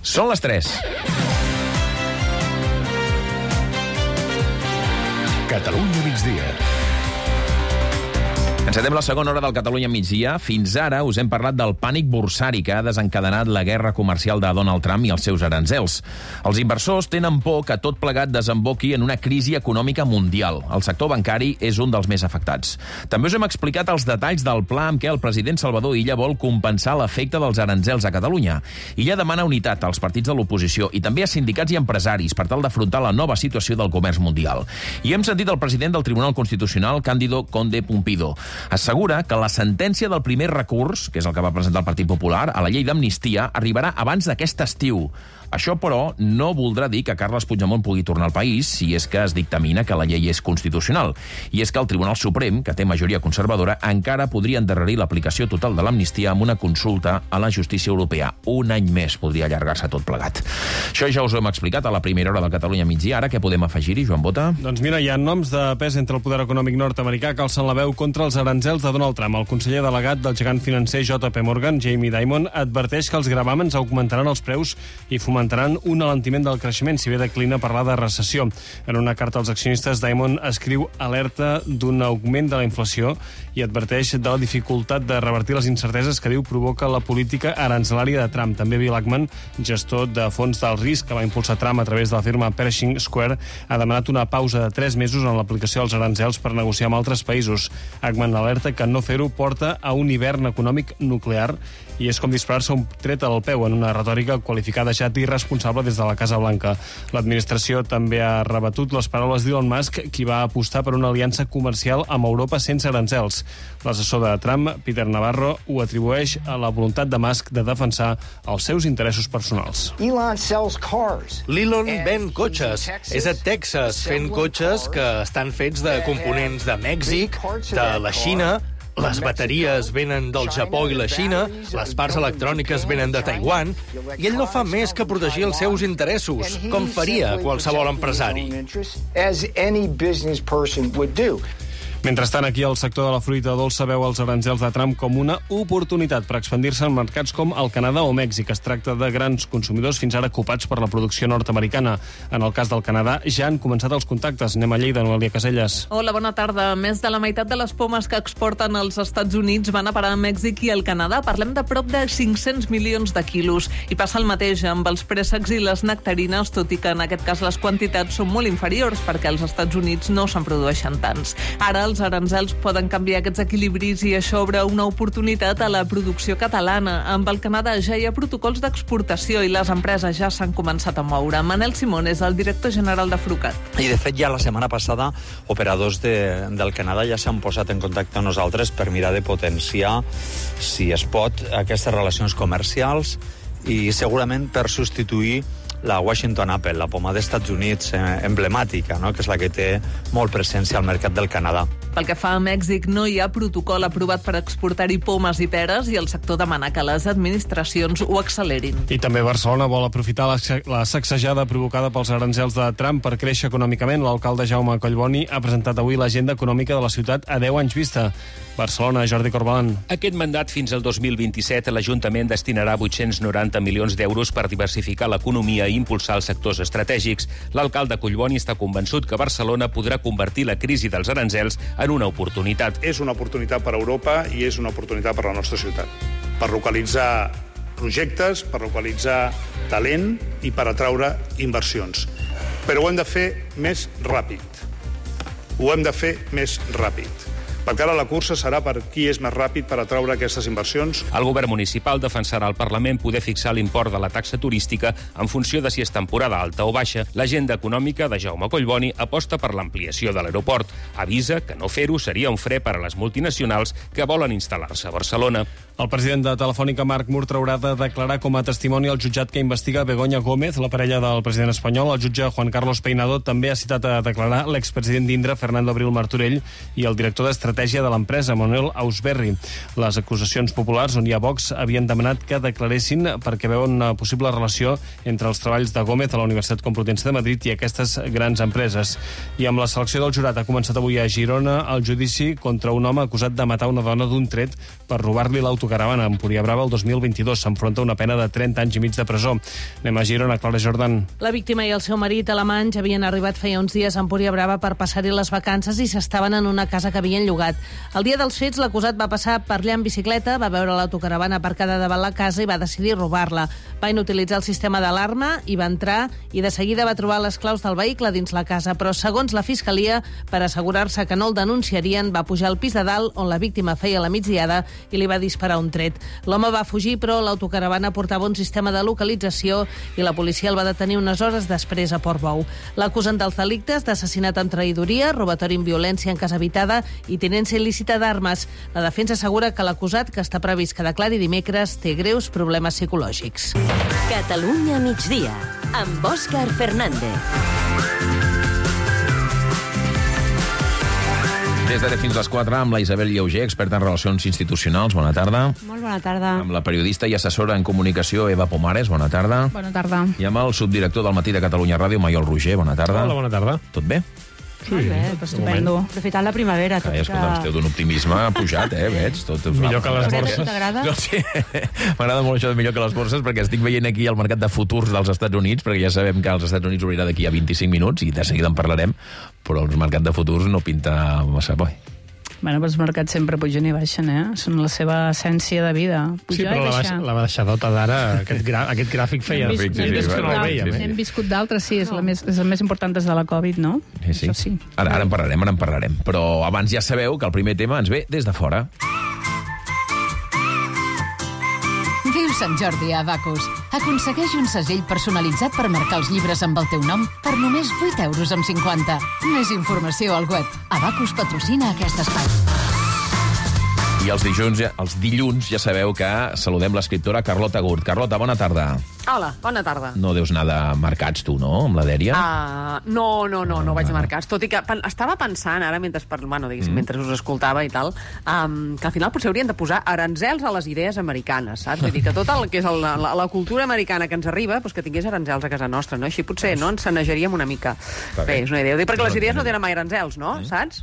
Són les 3. Catalunya migdia. Encetem la segona hora del Catalunya migdia. Fins ara us hem parlat del pànic borsari que ha desencadenat la guerra comercial de Donald Trump i els seus aranzels. Els inversors tenen por que tot plegat desemboqui en una crisi econòmica mundial. El sector bancari és un dels més afectats. També us hem explicat els detalls del pla amb què el president Salvador Illa vol compensar l'efecte dels aranzels a Catalunya. Illa demana unitat als partits de l'oposició i també a sindicats i empresaris per tal d'afrontar la nova situació del comerç mundial. I hem sentit el president del Tribunal Constitucional, Cándido Conde Pumpido. Assegura que la sentència del primer recurs, que és el que va presentar el Partit Popular, a la llei d'amnistia, arribarà abans d'aquest estiu. Això, però, no voldrà dir que Carles Puigdemont pugui tornar al país si és que es dictamina que la llei és constitucional. I és que el Tribunal Suprem, que té majoria conservadora, encara podria endarrerir l'aplicació total de l'amnistia amb una consulta a la justícia europea. Un any més podria allargar-se tot plegat. Això ja us ho hem explicat a la primera hora del Catalunya migdia. Ara què podem afegir-hi, Joan Bota? Doncs mira, hi ha noms de pes entre el poder econòmic nord-americà que alcen la veu contra els aranzels de Donald Trump. El conseller delegat del gegant financer JP Morgan, Jamie Dimon, adverteix que els gravàmens augmentaran els preus i fomentaran un alentiment del creixement, si bé declina parlar de recessió. En una carta als accionistes, Dimon escriu alerta d'un augment de la inflació i adverteix de la dificultat de revertir les incerteses que diu provoca la política aranzelària de Trump. També Bill Ackman, gestor de fons del risc que va impulsar Trump a través de la firma Pershing Square, ha demanat una pausa de 3 mesos en l'aplicació dels aranzels per negociar amb altres països. Ackman alerta que no fer-ho porta a un hivern econòmic nuclear i és com disparar-se un tret al peu en una retòrica qualificada ja d'irresponsable des de la Casa Blanca. L'administració també ha rebatut les paraules d'Elon Musk, qui va apostar per una aliança comercial amb Europa sense aranzels. L'assessor de Trump, Peter Navarro, ho atribueix a la voluntat de Musk de defensar els seus interessos personals. L'Elon ven cotxes. És a Texas fent cotxes que estan fets de components de Mèxic, de la Xina. Les bateries venen del Japó i la Xina, les parts electròniques venen de Taiwan, i ell no fa més que protegir els seus interessos, com faria qualsevol empresari. Mentrestant, aquí el sector de la fruita dolça veu els aranzels de Trump com una oportunitat per expandir-se en mercats com el Canadà o Mèxic. Es tracta de grans consumidors fins ara ocupats per la producció nord-americana. En el cas del Canadà ja han començat els contactes. Anem a Lleida, Noelia Caselles. Hola, bona tarda. Més de la meitat de les pomes que exporten als Estats Units van a parar a Mèxic i al Canadà. Parlem de prop de 500 milions de quilos. I passa el mateix amb els préssecs i les nectarines, tot i que en aquest cas les quantitats són molt inferiors perquè als Estats Units no se'n produeixen tants. Ara els aranzels poden canviar aquests equilibris i això obre una oportunitat a la producció catalana. Amb el Canadà ja hi ha protocols d'exportació i les empreses ja s'han començat a moure. Manel Simón és el director general de Frucat. I de fet ja la setmana passada operadors del Canadà ja s'han posat en contacte amb nosaltres per mirar de potenciar, si es pot, aquestes relacions comercials i segurament per substituir la Washington Apple, la poma dels Estats Units emblemàtica, no? Que és la que té molt presència al mercat del Canadà. Pel que fa a Mèxic, no hi ha protocol aprovat per exportar-hi pomes i peres i el sector demana que les administracions ho accelerin. I també Barcelona vol aprofitar la sacsejada provocada pels aranzels de Trump per créixer econòmicament. L'alcalde Jaume Collboni ha presentat avui l'agenda econòmica de la ciutat a 10 anys vista. Barcelona, Jordi Corbalan. Aquest mandat fins al 2027 l'Ajuntament destinarà 890 milions d'euros per diversificar l'economia i impulsar els sectors estratègics. L'alcalde Collboni està convençut que Barcelona podrà convertir la crisi dels aranzels en una oportunitat. És una oportunitat per a Europa i és una oportunitat per a la nostra ciutat. Per localitzar projectes, per localitzar talent i per atraure inversions. Però ho hem de fer més ràpid. Ho hem de fer més ràpid. Perquè ara la cursa serà per qui és més ràpid per atraure aquestes inversions. El govern municipal defensarà al Parlament poder fixar l'import de la taxa turística en funció de si és temporada alta o baixa. L'agenda econòmica de Jaume Collboni aposta per l'ampliació de l'aeroport. Avisa que no fer-ho seria un fre per a les multinacionals que volen instal·lar-se a Barcelona. El president de Telefònica, Marc Murtra, haurà de declarar com a testimoni al jutjat que investiga Begoña Gómez, la parella del president espanyol. El jutge Juan Carlos Peinado també ha citat a declarar l'expresident d'Indra, Fernando Abril Martorell, i el director d'estratègia de l'empresa, Manuel Ausberri. Les acusacions populars, on hi ha Vox, havien demanat que declaressin perquè veuen una possible relació entre els treballs de Gómez a la Universitat Complutense de Madrid i aquestes grans empreses. I amb la selecció del jurat ha començat avui a Girona el judici contra un home acusat de matar una dona d'un tret per robar-li l'auto l'autocaravana a Empúria Brava el 2022. S'enfronta a una pena de 30 anys i mig de presó. Anem a Girona, Clara Jordan. La víctima i el seu marit alemanys havien arribat feia uns dies a Empúria Brava per passar-hi les vacances i s'estaven en una casa que havien llogat. El dia dels fets, l'acusat va passar per allà en bicicleta, va veure l'autocaravana aparcada davant la casa i va decidir robar-la. Va inutilitzar el sistema d'alarma i va entrar i de seguida va trobar les claus del vehicle dins la casa, però segons la Fiscalia, per assegurar-se que no el denunciarien, va pujar al pis de dalt on la víctima feia la migdiada i li va disparar un tret. L'home va fugir, però l'autocaravana portava un sistema de localització i la policia el va detenir unes hores després a Portbou. L'acusen dels delictes d'assassinat amb traïdoria, robatori amb violència en casa habitada i tinença il·lícita d'armes. La defensa assegura que l'acusat, que està previst que declari dimecres, té greus problemes psicològics. Catalunya migdia, amb Òscar Fernández. Des d'ara fins a les 4 amb la Isabel Lleuger, experta en relacions institucionals. Bona tarda. Molt bona tarda. Amb la periodista i assessora en comunicació Eva Pomares. Bona tarda. Bona tarda. I amb el subdirector del Matí de Catalunya Ràdio, Maiol Roger. Bona tarda. Hola, bona tarda. Tot bé? Sí, molt bé, estupendo. Aprofitant la primavera. Escolta, esteu d'un optimisme pujat, veig. Millor que les borses. T'agrada? No, sí. M'agrada molt això de millor que les borses, perquè estic veient aquí el mercat de futurs dels Estats Units, perquè ja sabem que els Estats Units obrirà d'aquí a 25 minuts, i de seguida en parlarem, però el mercat de futurs no pinta massa bo. Bueno, però els mercats sempre pugen i baixen, Són la seva essència de vida. Sí, però la baixadota d'ara, aquest gràfic feia... Hem viscut d'altres, sí, és el més important des de la Covid, no? Sí. Això sí. Ara en parlarem. Però abans ja sabeu que el primer tema ens ve des de fora. Viu Sant Jordi a Abacus. Aconsegueix un segell personalitzat per marcar els llibres amb el teu nom per només 8,50 €. Més informació al web. Abacus patrocina aquest espai. I els dilluns ja sabeu que saludem l'escriptora Carlota Gurt. Carlota, bona tarda. Hola, bona tarda. No deus anar de mercats, tu, no?, amb la Dèria? No vaig a mercats. Tot i que estava pensant ara, mentre us escoltava i tal, que al final potser haurien de posar aranzels a les idees americanes, saps? Vull dir que tot el que és la cultura americana que ens arriba, doncs que tingués aranzels a casa nostra, no? Així potser no ens sanejaríem una mica. Bé, és una idea. Ho dic perquè les idees no tenen mai aranzels, no? Saps?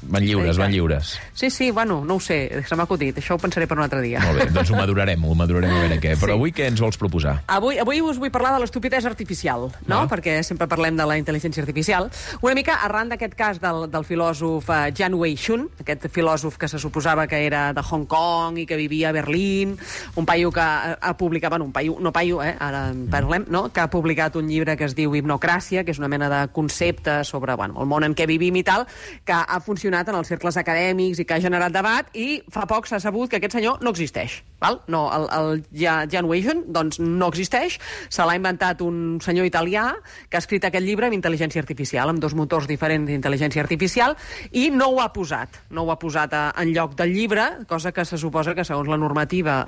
Van lliures. Sí, bueno, no ho sé, se m'ha acudit. Això ho pensaré per un altre dia. Molt bé, doncs ho madurarem a veure què. Però avui què ens vols proposar? Avui us vull parlar de l'estupidesa artificial, no? Perquè sempre parlem de la intel·ligència artificial. Una mica arran d'aquest cas del filòsof Jan Wei-shun, aquest filòsof que se suposava que era de Hong Kong i que vivia a Berlín, un paio que ha publicat, ara en parlem, no? Que ha publicat un llibre que es diu Hipnocràcia, que és una mena de concepte sobre el món en què vivim i tal, que ha funcionat en els cercles acadèmics i que ha generat debat, i fa poc s'ha sabut que aquest senyor no existeix. No, el Jan Wei-shun, doncs, no existeix. Se l'ha inventat un senyor italià que ha escrit aquest llibre amb intel·ligència artificial, amb 2 motors diferents d'intel·ligència artificial, i no ho ha posat en lloc del llibre, cosa que se suposa que segons la normativa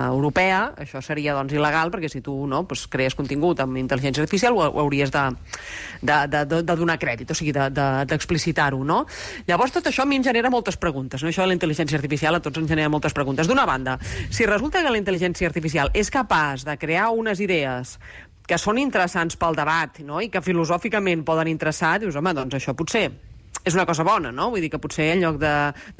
europea això seria doncs il·legal, perquè si tu crees contingut amb intel·ligència artificial ho hauries de donar crèdit, o sigui, d'explicitar-ho, no? Llavors tot això a mi em genera moltes preguntes, no? Això de la intel·ligència artificial a tots ens genera moltes preguntes. D'una banda, si resulta que la intel·ligència artificial és capaç de crear unes idees que són interessants pel debat, no? I que filosòficament poden interessar, dius, home, doncs això potser és una cosa bona, no? Vull dir que potser en lloc de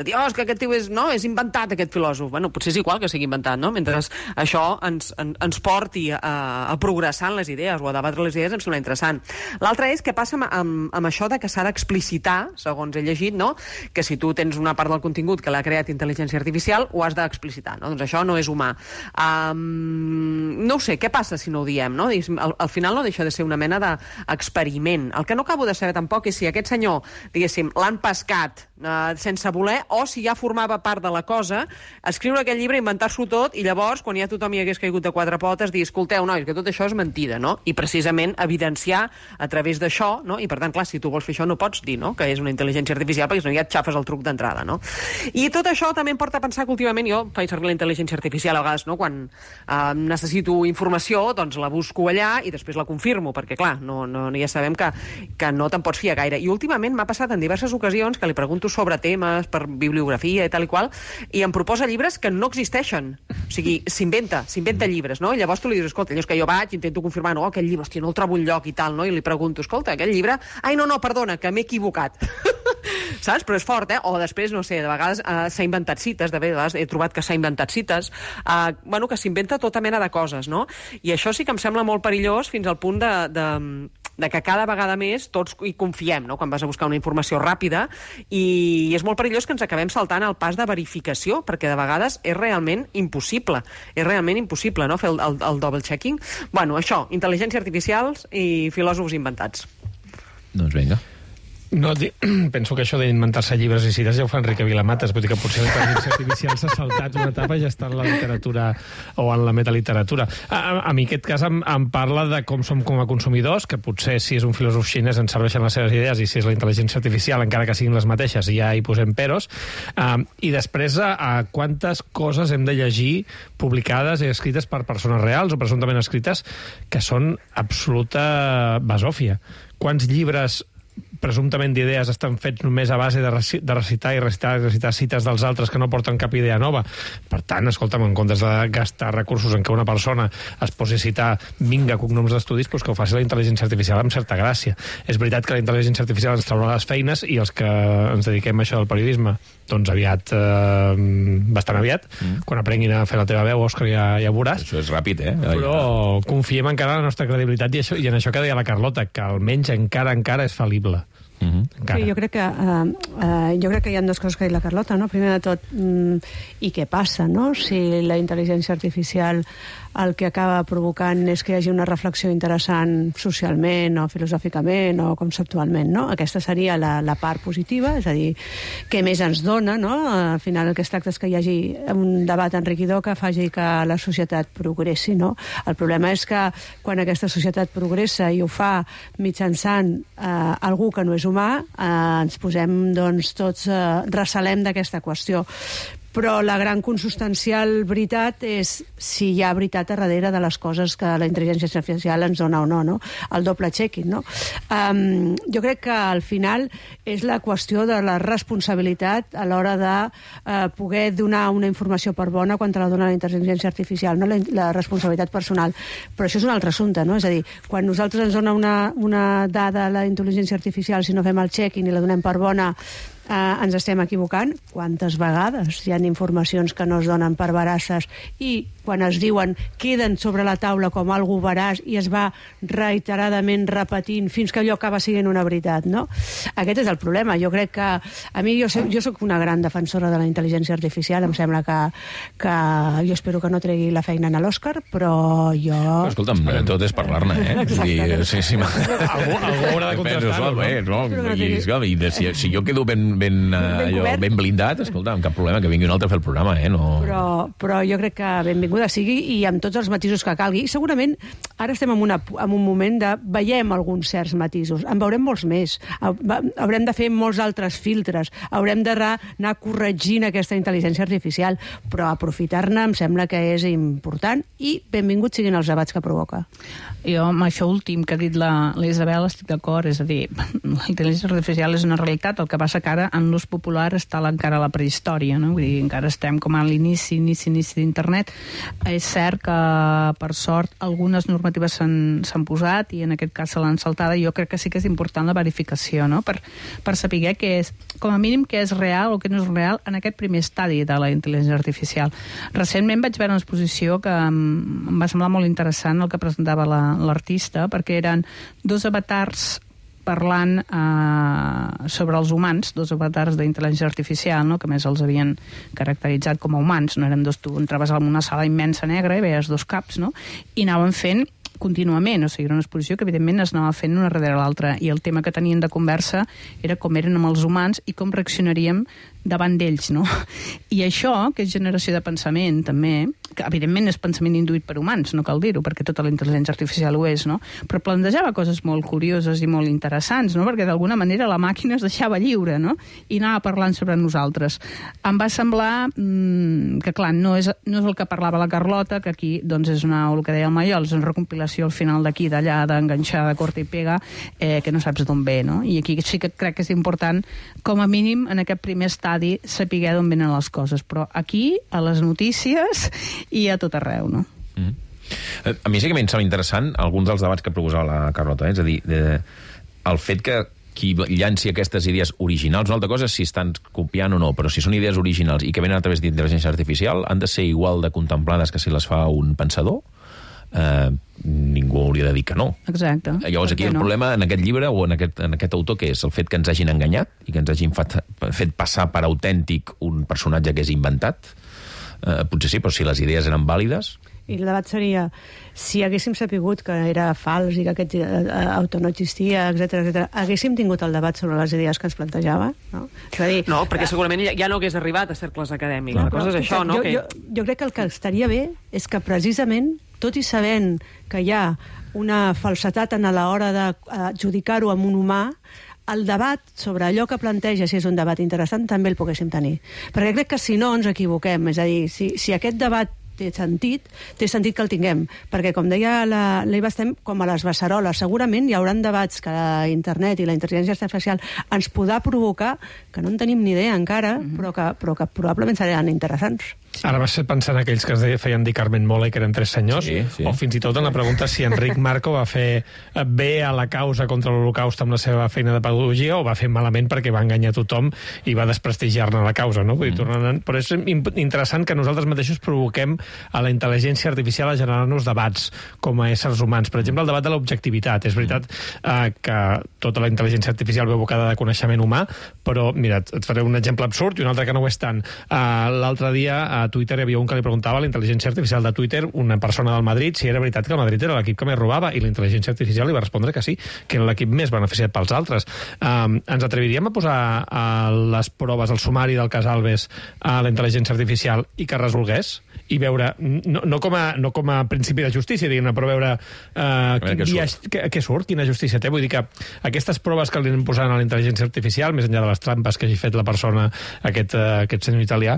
dir, és que aquest tio és inventat, aquest filòsof. Bueno, potser és igual que sigui inventat, no? Mentre això ens porti a progressar en les idees o a debatre les idees, em sembla interessant. L'altre és què passa amb això de que s'ha d'explicitar, segons he llegit, no? Que si tu tens una part del contingut que l'ha creat intel·ligència artificial, ho has d'explicitar, no? Doncs això no és humà. No ho sé, què passa si no ho diem, no? Al final no deixa de ser una mena d'experiment. El que no acabo de saber tampoc és si aquest senyor, l'han pescat sense voler, o si ja formava part de la cosa, escriure aquell llibre, inventar-s'ho tot, i llavors, quan ja tothom hi hagués caigut de 4 potes, dir, escolteu, nois, que tot això és mentida, no? I precisament evidenciar a través d'això, no? I per tant, clar, si tu vols fer això no pots dir, no?, que és una intel·ligència artificial, perquè si no ja et xafes el truc d'entrada, no? I tot això també em porta a pensar que últimament jo faig servir la intel·ligència artificial a vegades, no?, quan necessito informació, doncs la busco allà i després la confirmo, perquè clar, ja sabem que no te'n pots fiar gaire. I últimament m'ha passat en en diverses ocasions que li pregunto sobre temes per bibliografia i tal i qual, i em proposa llibres que no existeixen. O sigui, s'inventa llibres, no? I llavors tu li dius, escolta, allò és que jo vaig, intento confirmar, no, aquell llibre, hòstia, no el trobo enlloc i tal, no? I li pregunto, escolta, aquell llibre... Ai, no, perdona, que m'he equivocat. Saps? Però és fort, O després, no sé, de vegades s'ha inventat cites, de vegades he trobat que s'ha inventat cites, que s'inventa tota mena de coses, no? I això sí que em sembla molt perillós fins al punt de que cada vegada més tots hi confiem, no?, quan vas a buscar una informació ràpida, i és molt perillós que ens acabem saltant el pas de verificació, perquè de vegades és realment impossible, no?, fer el double-checking. Bueno, això, intel·ligència artificial i filòsofs inventats. Doncs vinga. No, penso que això d'inventar-se llibres i cites ja ho fa Enrique Vilamatas, vull dir que potser la intel·ligència artificial s'ha saltat una etapa i ja està en la literatura o en la metaliteratura. A mi aquest cas em parla de com som com a consumidors, que potser si és un filòsof xinès ens serveixen les seves idees i si és la intel·ligència artificial, encara que siguin les mateixes, ja hi posem peros. I després a quantes coses hem de llegir publicades i escrites per persones reals o presumptament escrites que són absoluta basòfia. Quants llibres presumptament d'idees estan fets només a base de recitar cites dels altres que no porten cap idea nova. Per tant, escolta'm, en comptes de gastar recursos en què una persona es posi a citar cognoms d'estudis, doncs que ho faci la intel·ligència artificial amb certa gràcia. És veritat que la intel·ligència artificial ens traurà les feines i els que ens dediquem a això del periodisme, doncs aviat, bastant aviat, quan aprenguin a fer la teva veu, Òscar, ja veuràs. Això és ràpid, Però confiem encara en la nostra credibilitat i en això que deia la Carlota, que almenys encara és fal·lible. Sí, jo crec que hi ha dues coses que ha dit la Carlota, no? Primer de tot, i què passa, no? Si la intel·ligència artificial el que acaba provocant és que hi hagi una reflexió interessant socialment o filosòficament o conceptualment, no? Aquesta seria la part positiva, és a dir, què més ens dona, no? Al final el que es tracta és que hi hagi un debat enriquidor que faci que la societat progressi, no? El problema és que quan aquesta societat progressa i ho fa mitjançant algú que no és humà, ens posem, doncs, tots recelem d'aquesta qüestió. Però la gran consubstancial veritat és si hi ha veritat a darrere de les coses que la intel·ligència artificial ens dona o no, no? El doble checking, no? Jo crec que al final és la qüestió de la responsabilitat a l'hora de poder donar una informació per bona quan te la dona la intel·ligència artificial, no? La responsabilitat personal. Però això és un altre assumpte, no? És a dir, quan nosaltres ens dona una dada a la intel·ligència artificial, si no fem el checking i la donem per bona, ens estem equivocant. Quantes vegades hi ha informacions que no es donen per veraces i quan es diuen queden sobre la taula com algú veraç i es va reiteradament repetint fins que allò acaba sent una veritat, no? Aquest és el problema. Jo crec que a mi, jo soc una gran defensora de la intel·ligència artificial, em sembla que jo espero que no tregui la feina a l'Òscar, però jo... Escolta'm, tot és parlar-ne, Exacte. Algú haurà de contrastar-ho, no? Si jo quedo ben blindat, escolta, amb cap problema que vingui un altre a fer el programa, Però jo crec que benvinguda sigui i amb tots els matisos que calgui. I segurament ara estem en un moment de veiem alguns certs matisos. En veurem molts més. Haurem de fer molts altres filtres. Haurem d'anar corregint aquesta intel·ligència artificial. Però aprofitar-ne em sembla que és important i benvinguts siguin els debats que provoca. Jo, amb això últim que ha dit la Isabel, estic d'acord. És a dir, la intel·ligència artificial és una realitat. El que passa que ara en l'ús popular està encara la prehistòria, no? Vull dir, encara estem com a l'inici d'internet. És cert que, per sort, algunes normatives s'han posat i en aquest cas se l'han saltada. Jo crec que sí que és important la verificació, no? Per saber què és, com a mínim, què és real o què no és real en aquest primer estadi de la intel·ligència artificial. Recentment vaig veure una exposició que em va semblar molt interessant el que presentava l'artista, perquè eren dos avatars parlant sobre els humans, dos avatars d'intel·ligència artificial, no? Que més els havien caracteritzat com a humans, no eren dos, tu entraves en una sala immensa negra i veies dos caps, no? I anaven fent contínuament, o sigui, era una exposició que evidentment es anava fent una darrere l'altra, i el tema que tenien de conversa era com eren amb els humans i com reaccionaríem davant d'ells, no? I això, que és generació de pensament, també, que evidentment és pensament induït per humans, no cal dir-ho, perquè tota la intel·ligència artificial ho és, no? Però plantejava coses molt curioses i molt interessants, no? Perquè d'alguna manera la màquina es deixava lliure, no? I anava parlant sobre nosaltres. Em va semblar que, clar, no és el que parlava la Carlota, que aquí, doncs, és el que deia el Maiol, és una recompilació al final d'aquí, d'allà, d'enganxar, de corta i pega, que no saps d'on ve, no? I aquí sí que crec que és important, com a mínim, en aquest primer estadi, saber d'on venen les coses. Però aquí, a les notícies i a tot arreu, no? A mi sí que m'hi sembla interessant alguns dels debats que proposava la Carlota, és a dir, el fet que qui llanci aquestes idees originals, una altra cosa és si estan copiant o no, però si són idees originals i que venen a través d'intel·ligència artificial, han de ser igual de contemplades que si les fa un pensador? Ningú hauria de dir que no. Exacte. Llavors aquí el problema en aquest llibre o en aquest autor, que és el fet que ens hagin enganyat i que ens hagin fet passar per autèntic un personatge que és inventat. Potser sí, però si les idees eren vàlides... I el debat seria, si haguéssim sapigut que era fals i que aquest autor no existia, etc, haguéssim tingut el debat sobre les idees que ens plantejava? No, no, perquè segurament ja no hagués arribat a cercles acadèmics. La cosa és això, no? Jo crec que el que estaria bé és que precisament, tot i sabent que hi ha una falsetat en l'hora d'adjudicar-ho amb un humà, el debat sobre allò que planteja, si és un debat interessant, també el poguéssim tenir. Perquè crec que si no ens equivoquem, és a dir, si aquest debat té sentit que el tinguem, perquè com deia l'Eva, estem com a les beceroles. Segurament hi haurà debats que internet i la intel·ligència artificial ens podrà provocar, que no en tenim ni idea encara, però que probablement seran interessants. Ara vas pensar en aquells que es feien dir Carmen Mola i que eren 3 senyors, o fins i tot en la pregunta si Enric Marco va fer bé a la causa contra l'Holocaust amb la seva feina de pedagogia o va fer malament perquè va enganyar tothom i va desprestigiar-ne la causa, no? Vull dir, però és interessant que nosaltres mateixos provoquem a la intel·ligència artificial a generar-nos debats com a éssers humans. Per exemple, el debat de l'objectivitat. És veritat que tota la intel·ligència artificial ve abocada de coneixement humà, però, mira, et faré un exemple absurd i un altre que no ho és tant. L'altre dia a Twitter hi havia un que li preguntava a la intel·ligència artificial de Twitter, una persona del Madrid, si era veritat que el Madrid era l'equip que més robava, i la intel·ligència artificial li va respondre que sí, que era l'equip més beneficiat pels altres. Ens atreviríem a posar les proves, el sumari del cas Alves a la intel·ligència artificial i que resolgués? I veure, no com a principi de justícia, diguem-ne, però veure què surt, quina justícia té. Vull dir que aquestes proves que li anem posant a la intel·ligència artificial, més enllà de les trampes que hagi fet la persona, aquest senyor italià,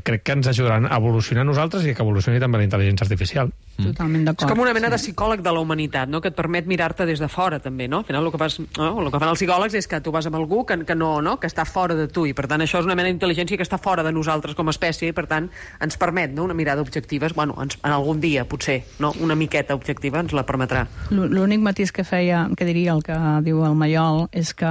crec que ens ajudaran a evolucionar nosaltres i que evolucioni també la intel·ligència artificial. Totalment d'acord. És com una mena de psicòleg de la humanitat, no? Que et permet mirar-te des de fora, també, no? Al final, el que fan els psicòlegs és que tu vas amb algú que que està fora de tu, i per tant això és una mena d'intel·ligència que està fora de nosaltres com a espècie, i per tant ens permet, no?, una mirada objectiva. Bueno, en algun dia, potser, no?, una miqueta objectiva ens la permetrà. L'únic matís que diria el que diu el Maiol és que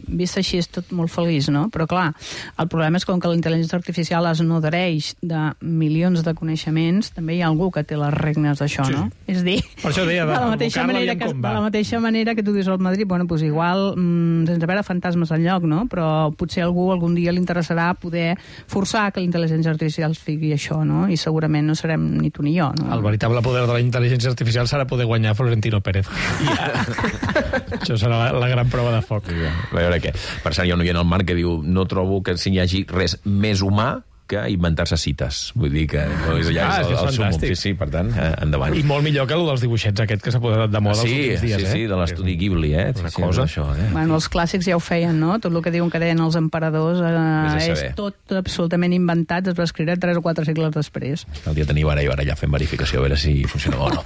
vist així és tot molt feliç, no? Però clar, el problema és com que la intel·ligència artificial es nodreix de milions de coneixements, també hi ha algú que té les regnes d'això, no? És dir, de la mateixa manera que tu dius al Madrid, bueno, doncs igual, sense veure fantasmes al lloc, no? Però potser algun dia li interessarà poder forçar que la intel·ligència artificial figui això, no? I segurament no serem ni tu ni jo, no? El veritable poder de la intel·ligència artificial serà poder guanyar Florentino Pérez. Això serà la gran prova de foc. A veure què. Per cert, hi ha un oient al Marc que diu no trobo que hi hagi res més humà que inventar-se cites. Vull dir que ja és el sumum. Sí, per tant, endavant. I molt millor que el dels dibuixets aquest que s'ha posat de moda els últims dies. Sí, de l'estudi Ghibli, una cosa. Bueno, els clàssics ja ho feien, no? Tot el que diuen que deien els emperadors és tot absolutament inventat, es va escriure 3 o 4 segles després. El dia teniu ara i ara ja fem verificació, a veure si funciona o no.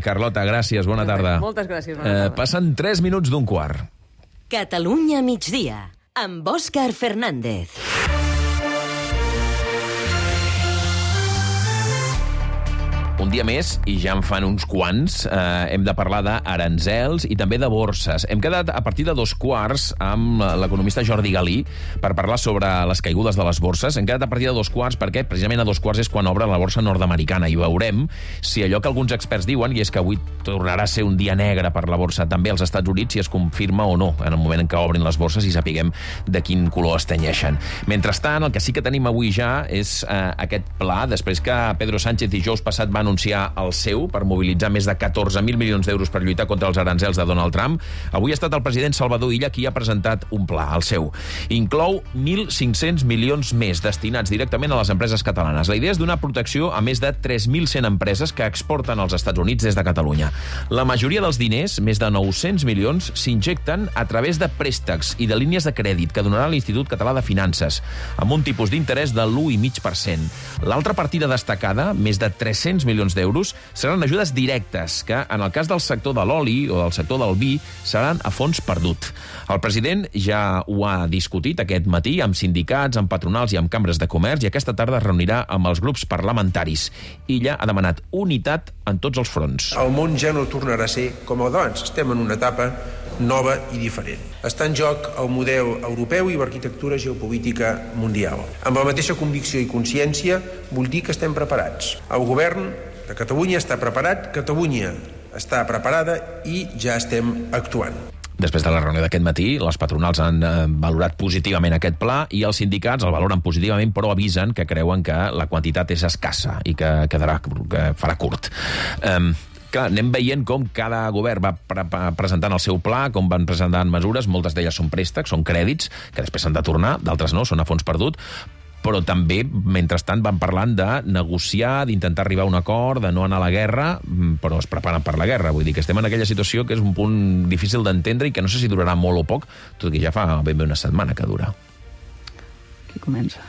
Carlota, gràcies, bona tarda. Moltes gràcies, bona tarda. Passen 3 minuts d'un quart. Catalunya migdia, amb Òscar Fernández. Un dia més, i ja en fan uns quants, hem de parlar d'aranzels i també de borses. Hem quedat a partir de 2:15 amb l'economista Jordi Galí per parlar sobre les caigudes de les borses. Hem quedat a partir de 2:15 perquè precisament a 2:15 és quan obre la borsa nord-americana i veurem si allò que alguns experts diuen, i és que avui tornarà a ser un dia negre per la borsa també als Estats Units, si es confirma o no en el moment en què obrin les borses i sapiguem de quin color es tenyeixen. Mentrestant, el que sí que tenim avui ja és aquest pla, després que Pedro Sánchez dijous passat va anunciar anunciar el seu per mobilitzar més de 14.000 milions d'euros per lluitar contra els aranzels de Donald Trump. Avui ha estat el president Salvador Illa qui ha presentat un pla, el seu. Inclou 1.500 milions més destinats directament a les empreses catalanes. La idea és donar protecció a més de 3.100 empreses que exporten als Estats Units des de Catalunya. La majoria dels diners, més de 900 milions, s'injecten a través de préstecs i de línies de crèdit que donarà l'Institut Català de Finances, amb un tipus d'interès de l'1,5%. L'altra partida destacada, més de 300 milions d'euros, seran ajudes directes, que en el cas del sector de l'oli o del sector del vi seran a fons perdut. El president ja ho ha discutit aquest matí amb sindicats, amb patronals i amb cambres de comerç, i aquesta tarda es reunirà amb els grups parlamentaris. Illa ha demanat unitat en tots els fronts. El món ja no tornarà a ser com el d'abans. Estem en una etapa nova i diferent. Està en joc el model europeu i l'arquitectura geopolítica mundial. Amb la mateixa convicció i consciència vull dir que estem preparats. El govern de Catalunya està preparat, Catalunya està preparada i ja estem actuant. Després de la reunió d'aquest matí, les patronals han valorat positivament aquest pla i els sindicats el valoren positivament, però avisen que creuen que la quantitat és escassa i que farà curt. Clar, anem veient com cada govern va presentant el seu pla, com van presentant mesures, moltes d'elles són préstecs, són crèdits, que després s'han de tornar, d'altres no, són a fons perdut, però també, mentrestant, van parlant de negociar, d'intentar arribar a un acord, de no anar a la guerra, però es preparen per la guerra. Vull dir que estem en aquella situació que és un punt difícil d'entendre i que no sé si durarà molt o poc, tot i que ja fa ben bé una setmana que dura. Qui comença?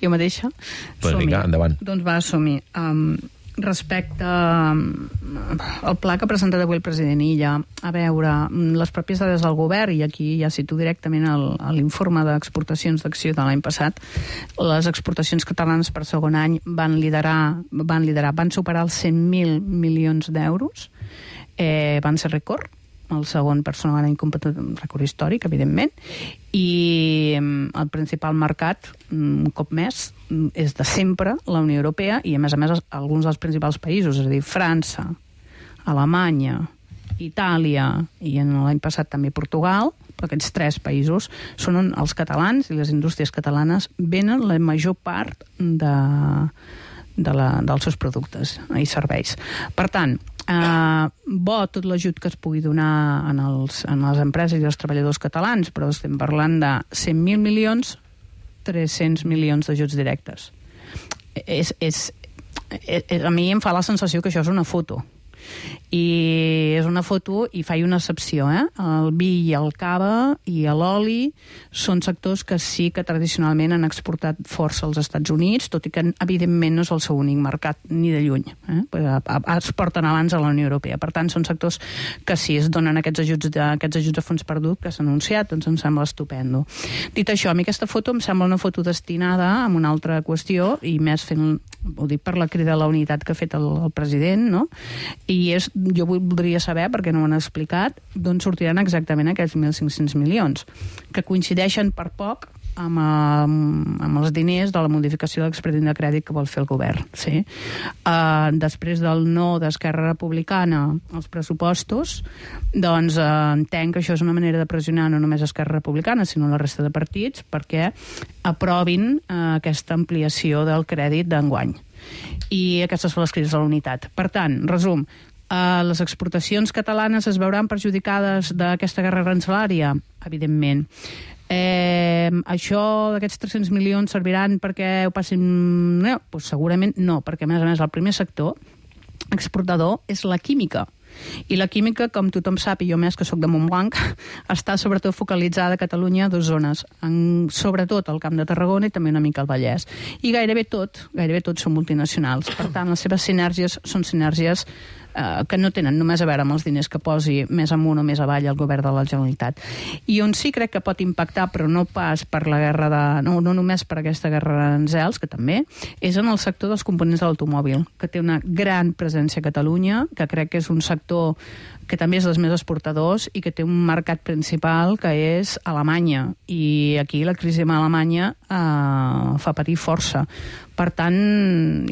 Jo mateixa? Doncs vinga, endavant. Doncs va, som-hi. Respecte al pla que ha presentat avui el president Illa, a veure, les pròpies dades del govern, i aquí ja cito directament l'informe d'exportacions d'acció de l'any passat, les exportacions catalanes per segon any van superar els 100.000 milions d'euros, van ser rècord, el segon per segon any rècord històric, evidentment, i el principal mercat, un cop més, és de sempre la Unió Europea i, a més, alguns dels principals països, és a dir, França, Alemanya, Itàlia i l'any passat també Portugal, però aquests tres països són on els catalans i les indústries catalanes venen la major part dels seus productes i serveis. Per tant, bo tot l'ajut que es pugui donar a les empreses i als treballadors catalans, però estem parlant de 100.000 milions, 300 milions d'ajuts directes. A mi em fa la sensació que això és una foto. I és una foto i faig una excepció, el vi i el cava i l'oli són sectors que sí que tradicionalment han exportat força als Estats Units, tot i que evidentment no és el seu únic mercat ni de lluny, exporten abans a la Unió Europea. Per tant, són sectors que sí es donen aquests ajuts a fons perdut que s'han anunciat, doncs em sembla estupendo. Dit això, a mi aquesta foto em sembla una foto destinada a una altra qüestió, i més fent, ho dic per la crida a la unitat que ha fet el president, no? I jo voldria saber, perquè no ho han explicat, d'on sortiran exactament aquests 1.500 milions, que coincideixen per poc amb els diners de la modificació de l'expedient de crèdit que vol fer el govern. Sí? Després del no d'Esquerra Republicana als pressupostos, doncs entenc que això és una manera de pressionar no només Esquerra Republicana, sinó la resta de partits, perquè aprovin aquesta ampliació del crèdit d'enguany. I aquestes són les crides a la unitat. Per tant, resum, les exportacions catalanes es veuran perjudicades d'aquesta guerra arancelària? Evidentment. Això d'aquests 300 milions serviran perquè ho passin... No, doncs segurament no, perquè a més el primer sector exportador és la química. I la química, com tothom sap, i jo més que sóc de Montblanc, està sobretot focalitzada a Catalunya a dues zones, sobretot al Camp de Tarragona i també una mica al Vallès. I gairebé tot són multinacionals. Per tant, les seves sinergies són sinergies que no tenen només a veure amb els diners que posi més amunt o més avall el govern de la Generalitat. I on sí crec que pot impactar, però no pas per la guerra no només per aquesta guerra d'aranzels, que també, és en el sector dels components de l'automòbil, que té una gran presència a Catalunya, que crec que és un sector que també és dels més exportadors i que té un mercat principal que és Alemanya. I aquí la crisi amb Alemanya fa patir força. Per tant,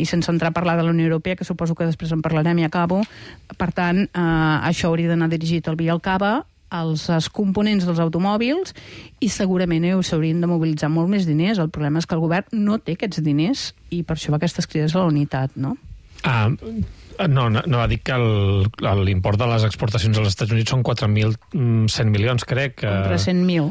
i sense entrar a parlar de la Unió Europea, que suposo que després en parlarem i acabo, per tant, això hauria d'anar dirigit al vi i al cava, als components dels automòbils, i segurament s'haurien de mobilitzar molt més diners. El problema és que el govern no té aquests diners i per això va aquestes crides a la unitat, no? No, va dir que l'import de les exportacions als Estats Units són 4.100 milions, crec. 300.000.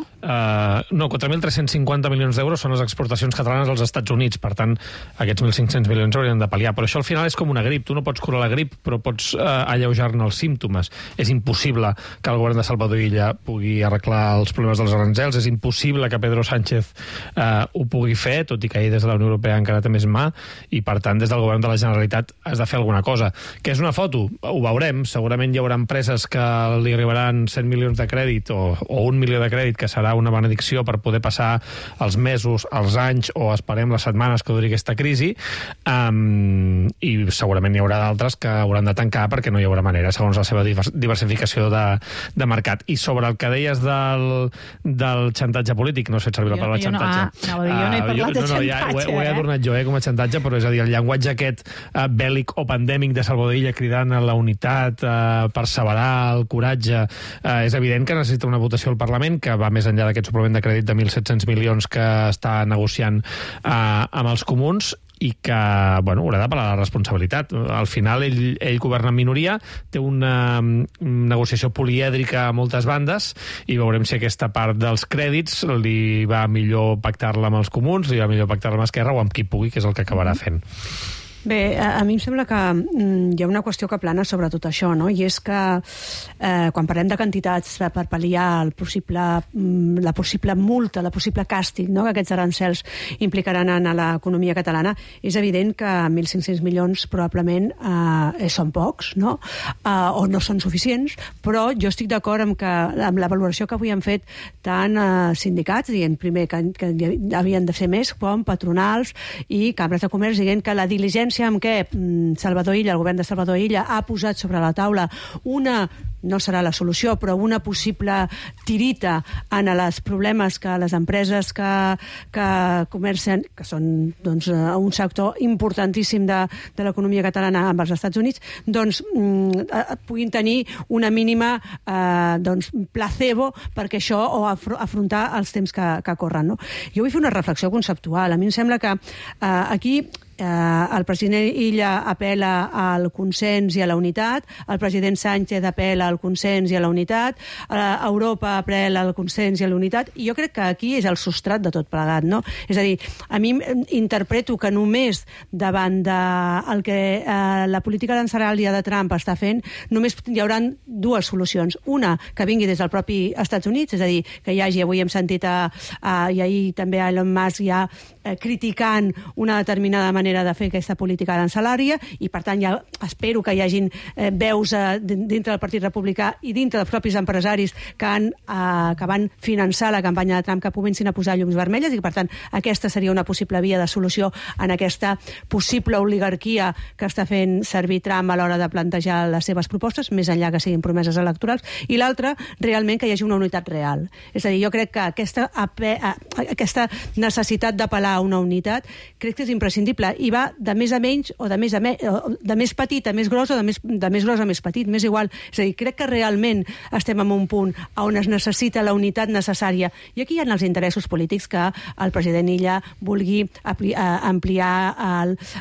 No, 4.350 milions d'euros són les exportacions catalanes als Estats Units. Per tant, aquests 1.500 milions haurien de pal·liar. Però això al final és com una grip. Tu no pots curar la grip, però pots alleujar-ne els símptomes. És impossible que el govern de Salvador Illa pugui arreglar els problemes dels aranzels. És impossible que Pedro Sánchez ho pugui fer, tot i que ell des de la Unió Europea encara té més mà, i per tant des del govern de la Generalitat has de fer alguna cosa. Què és una foto? Ho veurem. Segurament hi haurà empreses que li arribaran 100 milions de crèdit o 1 milió de crèdit, que serà una benedicció per poder passar els mesos, els anys o esperem les setmanes que duri aquesta crisi, i segurament hi haurà d'altres que hauran de tancar perquè no hi haurà manera, segons la seva diversificació de mercat. I sobre el que deies del xantatge polític, no sé servir la paraula xantatge. Jo no he parlat de xantatge. Ho he adornat jo com a xantatge, però és a dir, el llenguatge aquest bèl·lic o pandèmic de Salvador Illa cridant a la unitat, perseverar, el coratge, és evident que necessita una votació al Parlament que va més enllà d'aquest suplement de crèdit de 1.700 milions que està negociant amb els comuns i que, haurà d'apel·lar a la responsabilitat. Al final, ell governa en minoria, té una negociació polièdrica a moltes bandes, i veurem si aquesta part dels crèdits li va millor pactar-la amb els comuns, li va millor pactar-la amb Esquerra o amb qui pugui, que és el que acabarà fent. Bé, a mi em sembla que hi ha una qüestió que plana sobre tot això, no? I és que quan parlem de quantitats per pal·liar la possible multa, la possible càstig, no?, que aquests arancels implicaran en l'economia catalana, és evident que 1.500 milions probablement són pocs, no? O no són suficients, però jo estic d'acord amb la valoració que avui han fet tant sindicats, dient primer que havien de ser més, com patronals i cambres de comerç, dient que la diligència amb què Salvador Illa, el govern de Salvador Illa, ha posat sobre la taula no serà la solució, però una possible tirita en els problemes que les empreses que comercen, que són un sector importantíssim de l'economia catalana amb els Estats Units, puguin tenir una mínima placebo perquè això, o afrontar els temps que corren, no? Jo vull fer una reflexió conceptual. A mi em sembla que aquí el president Illa apel·la al consens i a la unitat, el president Sánchez apel·la al consens i a la unitat, Europa apel·la al consens i a la unitat, i jo crec que aquí és el substrat de tot plegat, no? És a dir, a mi interpreto que només davant del que la política arancelària de Trump està fent, només hi haurà dues solucions. Una, que vingui des del propi Estats Units, és a dir, que hi hagi, avui hem sentit i ahir també a Elon Musk ja criticant una determinada manera de fer aquesta política arancelària, i per tant ja espero que hi hagin veus dintre del Partit Republicà i dintre dels propis empresaris que van finançar la campanya de Trump, que comencin a posar llums vermelles, i per tant aquesta seria una possible via de solució en aquesta possible oligarquia que està fent servir Trump a l'hora de plantejar les seves propostes, més enllà que siguin promeses electorals. I l'altra, realment que hi hagi una unitat real. És a dir, jo crec que aquesta necessitat d'apel·lar a una unitat crec que és imprescindible, i va de més a menys o de més petit a més gros o de més gros a més petit, m'és igual. És a dir, crec que realment estem en un punt on es necessita la unitat necessària, i aquí hi ha els interessos polítics que el president Illa vulgui ampliar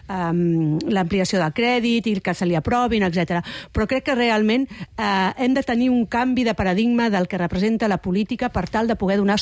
l'ampliació del crèdit i que se li aprovin, etc. Però crec que realment hem de tenir un canvi de paradigma del que representa la política per tal de poder donar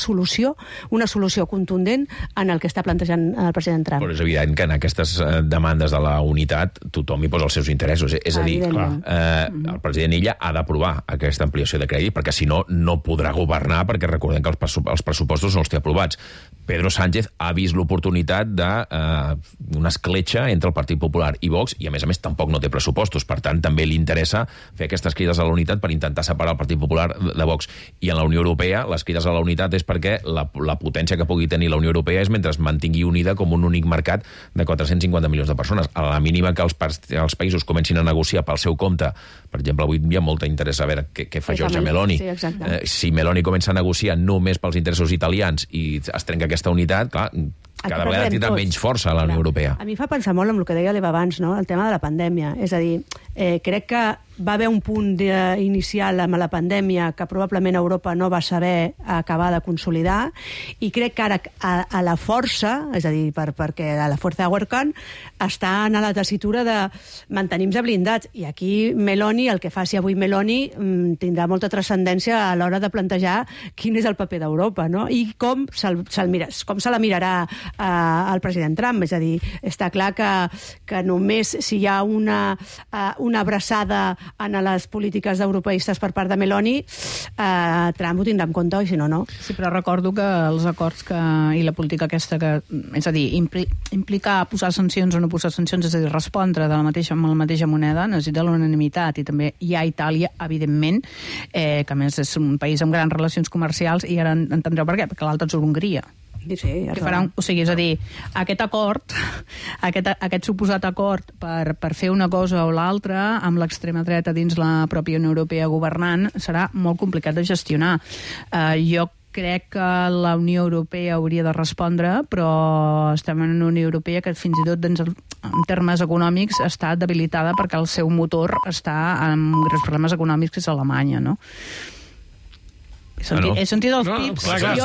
una solució contundent en el que està plantejant el president Trump. Però és evident que en aquestes demandes de la unitat tothom hi posa els seus interessos. És a dir, el president Illa ha d'aprovar aquesta ampliació de crèdit, perquè si no, no podrà governar, perquè recordem que els pressupostos no els té aprovats. Pedro Sánchez ha vist l'oportunitat d'una escletxa entre el Partit Popular i Vox, i a més tampoc no té pressupostos. Per tant, també li interessa fer aquestes crides a la unitat per intentar separar el Partit Popular de Vox. I en la Unió Europea, les crides a la unitat és perquè la potència que pugui tenir la Unió Europea és mentre es mantingui unida com un únic mercat de 450 milions de persones. A la mínima que els països comencin a negociar pel seu compte, per exemple, avui hi ha molt interès a veure què fa Giorgia Meloni. Si Meloni comença a negociar només pels interessos italians i es trenca aquesta unitat, clar, cada vegada tindrà menys força a la Unió Europea. A mi fa pensar molt en el que deia l'Eva abans, no? El tema de la pandèmia. És a dir, Crec que va haver un punt inicial amb la pandèmia que probablement Europa no va saber acabar de consolidar, i crec que ara a la força, és a dir, perquè a la força de Huercan està en la tessitura de mantenir-nos blindats, i aquí Meloni, el que faci avui Meloni, tindrà molta transcendència a l'hora de plantejar quin és el paper d'Europa, no? I com se la mirarà el president Trump. És a dir, està clar que només si hi ha una abraçada en les polítiques europeistes per part de Meloni, Trump ho tindrà en compte, i si no, no. Sí, però recordo que els acords i la política aquesta, és a dir, implicar posar sancions o no posar sancions, és a dir, respondre amb la mateixa moneda, necessita l'unanimitat, i també hi ha Itàlia, evidentment, que a més és un país amb grans relacions comercials, i ara entendreu per què, perquè l'altre és Hongria. Sí, que faran, o sigui, és a dir, aquest acord, aquest suposat acord per fer una cosa o l'altra amb l'extrema dreta dins la pròpia Unió Europea governant serà molt complicat de gestionar. Jo crec que la Unió Europea hauria de respondre, però estem en una Unió Europea que fins i tot en termes econòmics està debilitada perquè el seu motor està amb greus problemes econòmics, que és Alemanya, no? He sentit els pips. Clar,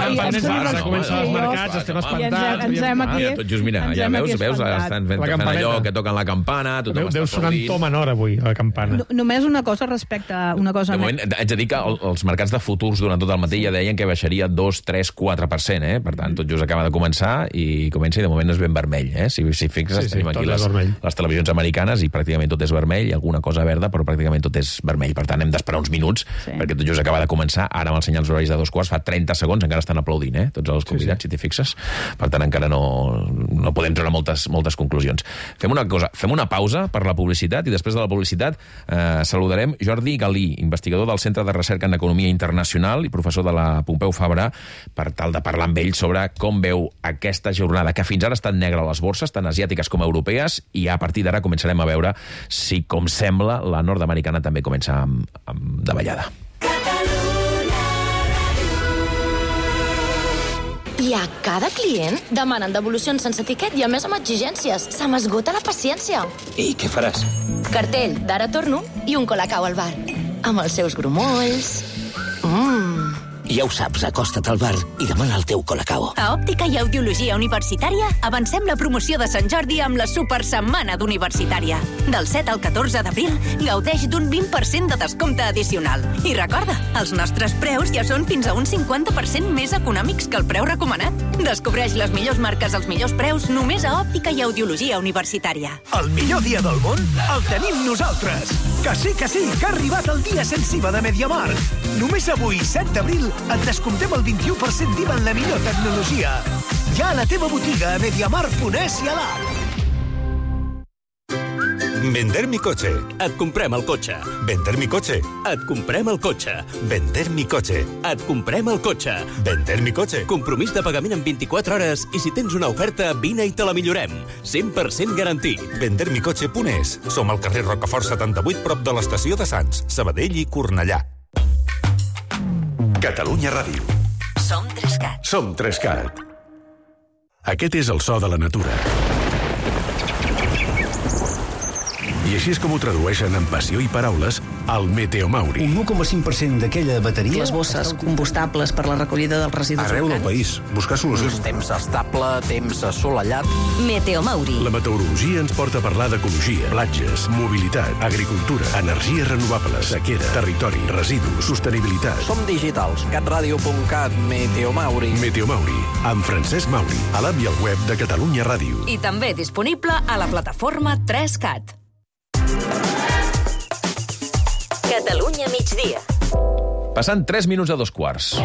comencen els mercats, estem espantats. Tot just, mira, ja veus, estan fent allò que toquen la campana, tothom està aplaudint. Deu sonar en to menor avui, la campana. Només una cosa respecte a una cosa... De moment, haig de dir que els mercats de futurs durant tot el matí ja deien que baixaria 2, 3, 4%, Per tant, tot just acaba de començar i comença, i de moment és ben vermell, Si fixes, tenim aquí les televisions americanes i pràcticament tot és vermell, i alguna cosa verda, però pràcticament tot és vermell. Per tant, hem d'esperar uns minuts, perquè tot just acaba de començar. Ara amb el senyal els horaris de 2:15, fa 30 segons, encara estan aplaudint, tots els convidats, si t'hi fixes. Per tant, encara no podem treure moltes conclusions. Fem una cosa, fem una pausa per la publicitat, i després de la publicitat saludarem Jordi Galí, investigador del Centre de Recerca en Economia Internacional i professor de la Pompeu Fabra, per tal de parlar amb ell sobre com veu aquesta jornada, que fins ara ha estat negra a les borses, tant asiàtiques com europees, i a partir d'ara començarem a veure si, com sembla, la nord-americana també comença amb davallada. I a cada client demanen devolucions sense etiquet i a més amb exigències. Se m'esgota la paciència. I què faràs? Cartell d'ara torno i un colacao al bar. Amb els seus grumolls. Ja ho saps, acosta't al bar i demana el teu colacao. A Òptica i Audiologia Universitària avancem la promoció de Sant Jordi amb la Supersetmana d'Universitària. Del 7 al 14 d'abril gaudeix d'un 20% de descompte addicional. I recorda, els nostres preus ja són fins a un 50% més econòmics que el preu recomanat. Descobreix les millors marques als millors preus només a Òptica i Audiologia Universitària. El millor dia del món el tenim nosaltres. Que sí, que ha arribat el dia sense IVA de MediaMarkt. Només avui, 7 d'abril, et descomptem el 21% d'IVA en la millor tecnologia. Ja a la teva botiga a MediaMarkt.es i a l'app. Vender mi coche. Et comprem el cotxe. Vender mi coche. Et comprem el cotxe. Vender mi coche. Et comprem el cotxe. Vender mi coche. Compromís de pagament en 24 hores i si tens una oferta, vine i te la millorem. 100% garantit. Vendermicoche.es. Som al carrer Rocafort 78, prop de l'estació de Sants, Sabadell i Cornellà. Catalunya Ràdio. Som 3CAT. Som 3CAT. Aquest és el so de la natura. I així és com ho tradueixen en passió i paraules al Meteomauri. Un 1,5% d'aquella bateria... Les bosses combustables per la recollida dels residus arreu del país. Buscar solucions. Temps estable, temps assolellat. Meteomauri. La meteorologia ens porta a parlar d'ecologia, platges, mobilitat, agricultura, energies renovables, sequera, territori, residus, sostenibilitat. Som digitals. catradio.cat, Meteomauri. Meteomauri, amb Francesc Mauri, a l'app i al web de Catalunya Ràdio. I també disponible a la plataforma 3CAT. Catalunya migdia. Passant 3 minuts a 2:15.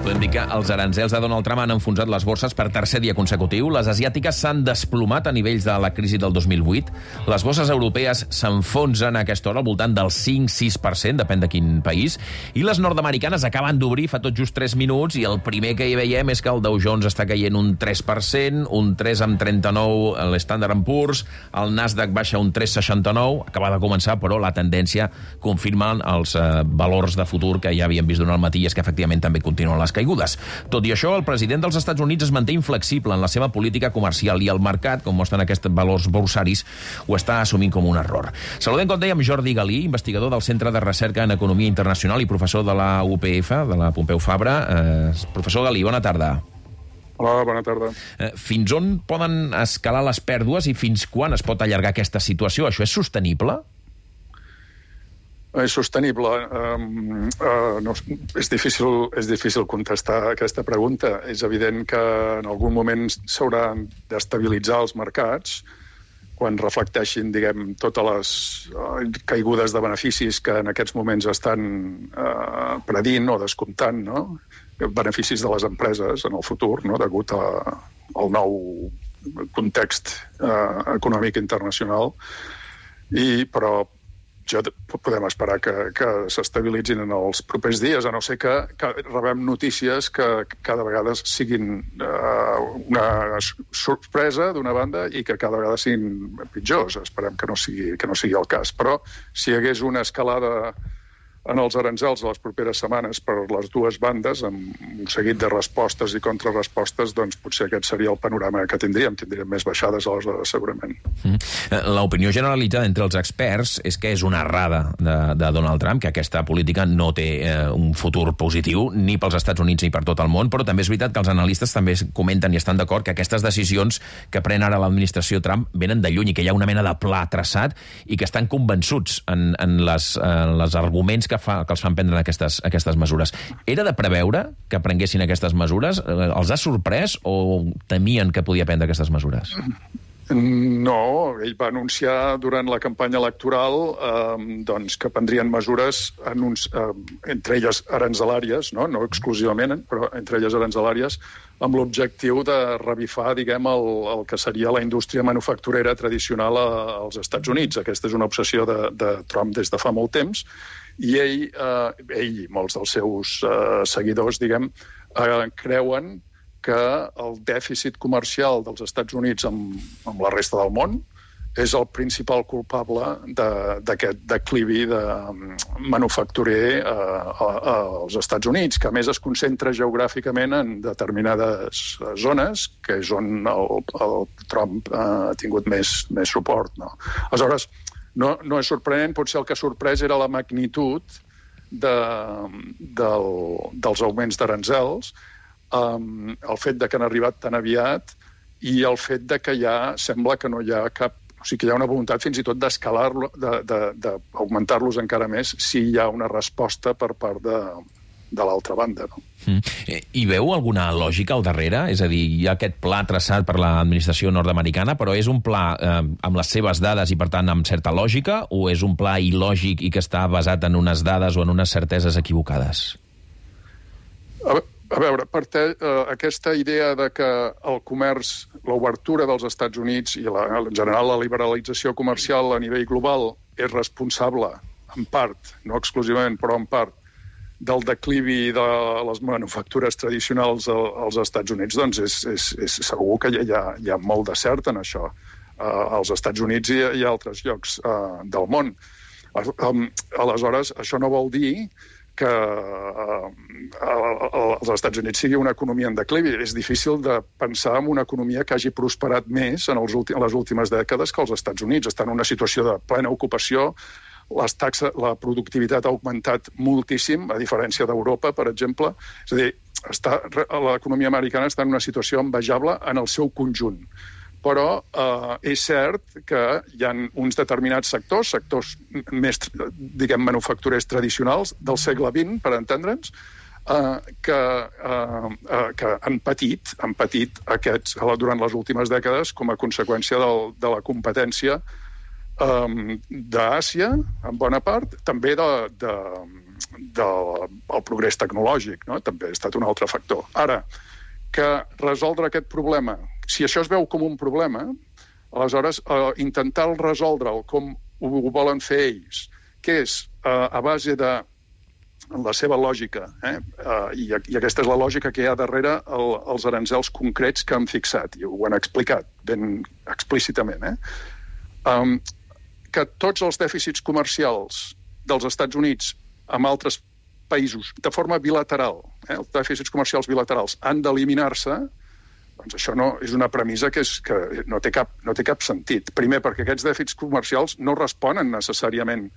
Podem dir que els aranzels de Donald Trump han enfonsat les borses per tercer dia consecutiu. Les asiàtiques s'han desplomat a nivells de la crisi del 2008. Les borses europees s'enfonsen a aquesta hora al voltant del 5-6%, depèn de quin país. I les nord-americanes acaben d'obrir fa tot just 3 minuts i el primer que hi veiem és que el Dow Jones està caient un 3%, un 3,39 l'Standard & Poor's, el Nasdaq baixa un 3,69, acaba de començar, però la tendència confirma els valors de futur que ja havíem vist durant el matí, i és que efectivament també continuen les caigudes. caigudes. Tot i això, el president dels Estats Units es manté inflexible en la seva política comercial i el mercat, com mostren aquests valors borsaris, ho està assumint com un error. Saludem, com dèiem, Jordi Galí, investigador del Centre de Recerca en Economia Internacional i professor de la UPF, de la Pompeu Fabra. Professor Galí, bona tarda. Hola, bona tarda. Fins on poden escalar les pèrdues i fins quan es pot allargar aquesta situació? Això és sostenible? És sostenible. És difícil contestar aquesta pregunta. És evident que en algun moment s'hauran d'estabilitzar els mercats quan reflecteixin, diguem, totes les caigudes de beneficis que en aquests moments estan predint o descomptant, no? Beneficis de les empreses en el futur, no? Degut al nou context econòmic internacional. Però podem esperar que s'estabilitzin en els propers dies, a no ser que rebem notícies que cada vegada siguin una sorpresa d'una banda i que cada vegada siguin pitjors. Esperem que no sigui el cas. Però si hi hagués una escalada en els aranzels a les properes setmanes per les dues bandes, amb un seguit de respostes i contrarrespostes, doncs potser aquest seria el panorama que tindríem. Tindríem més baixades, aleshores, segurament. L'opinió generalitzada entre els experts és que és una errada de Donald Trump, que aquesta política no té un futur positiu ni pels Estats Units ni per tot el món, però també és veritat que els analistes també comenten i estan d'acord que aquestes decisions que pren ara l'administració Trump venen de lluny i que hi ha una mena de pla traçat i que estan convençuts en les arguments que els fan prendre aquestes mesures. Era de preveure que prenguessin aquestes mesures? Els ha sorprès o temien que podia prendre aquestes mesures? No, ell va anunciar durant la campanya electoral que prendrien mesures, entre elles aranzelàries, no exclusivament, però entre elles aranzelàries, amb l'objectiu de revifar, diguem, el que seria la indústria manufacturera tradicional als Estats Units. Aquesta és una obsessió de Trump des de fa molt temps, i ell i molts dels seus seguidors, diguem, creuen que el dèficit comercial dels Estats Units amb la resta del món és el principal culpable d'aquest declivi manufacturer als Estats Units, que a més es concentra geogràficament en determinades zones, que és on el Trump ha tingut més suport. No? Aleshores, no és sorprenent, potser el que ha sorprès era la magnitud dels augments d'aranzels, el fet de que han arribat tan aviat i el fet de que ja sembla que no hi ha cap... O sigui, que hi ha una voluntat fins i tot d'escalar-lo, d'augmentar-los encara més si hi ha una resposta per part de l'altra banda. No? Hi veu alguna lògica al darrere? És a dir, hi ha aquest pla traçat per l'administració nord-americana, però és un pla amb les seves dades i, per tant, amb certa lògica, o és un pla il·lògic i que està basat en unes dades o en unes certeses equivocades? A veure, aquesta idea de que el comerç, l'obertura dels Estats Units i en general la liberalització comercial a nivell global és responsable, en part, no exclusivament, però en part, del declivi de les manufactures tradicionals als Estats Units, doncs és segur que hi ha molt de cert en això, als Estats Units i a altres llocs del món. Aleshores, això no vol dir que els Estats Units sigui una economia en declivi. És difícil de pensar en una economia que hagi prosperat més en les últimes dècades que els Estats Units. Estan en una situació de plena ocupació, la productivitat ha augmentat moltíssim, a diferència d'Europa, per exemple. És a dir, l'economia americana està en una situació envejable en el seu conjunt. Però és cert que hi ha uns determinats sectors més, diguem, manufacturers tradicionals del segle XX, per entendre'ns, que han patit aquests durant les últimes dècades com a conseqüència de la competència d'Àsia, en bona part, també del progrés tecnològic, no? També ha estat un altre factor. Ara, que resoldre aquest problema, si això es veu com un problema, aleshores intentar resoldre'l com ho volen fer ells, que és a base de la seva lògica, i aquesta és la lògica que hi ha darrere els aranzels concrets que han fixat, i ho han explicat ben explícitament, que tots els dèficits comercials dels Estats Units amb altres països, de forma bilateral, els dèficits comercials bilaterals han d'eliminar-se, doncs això no, és una premissa que no té cap sentit. Primer, perquè aquests dèficits comercials no responen necessàriament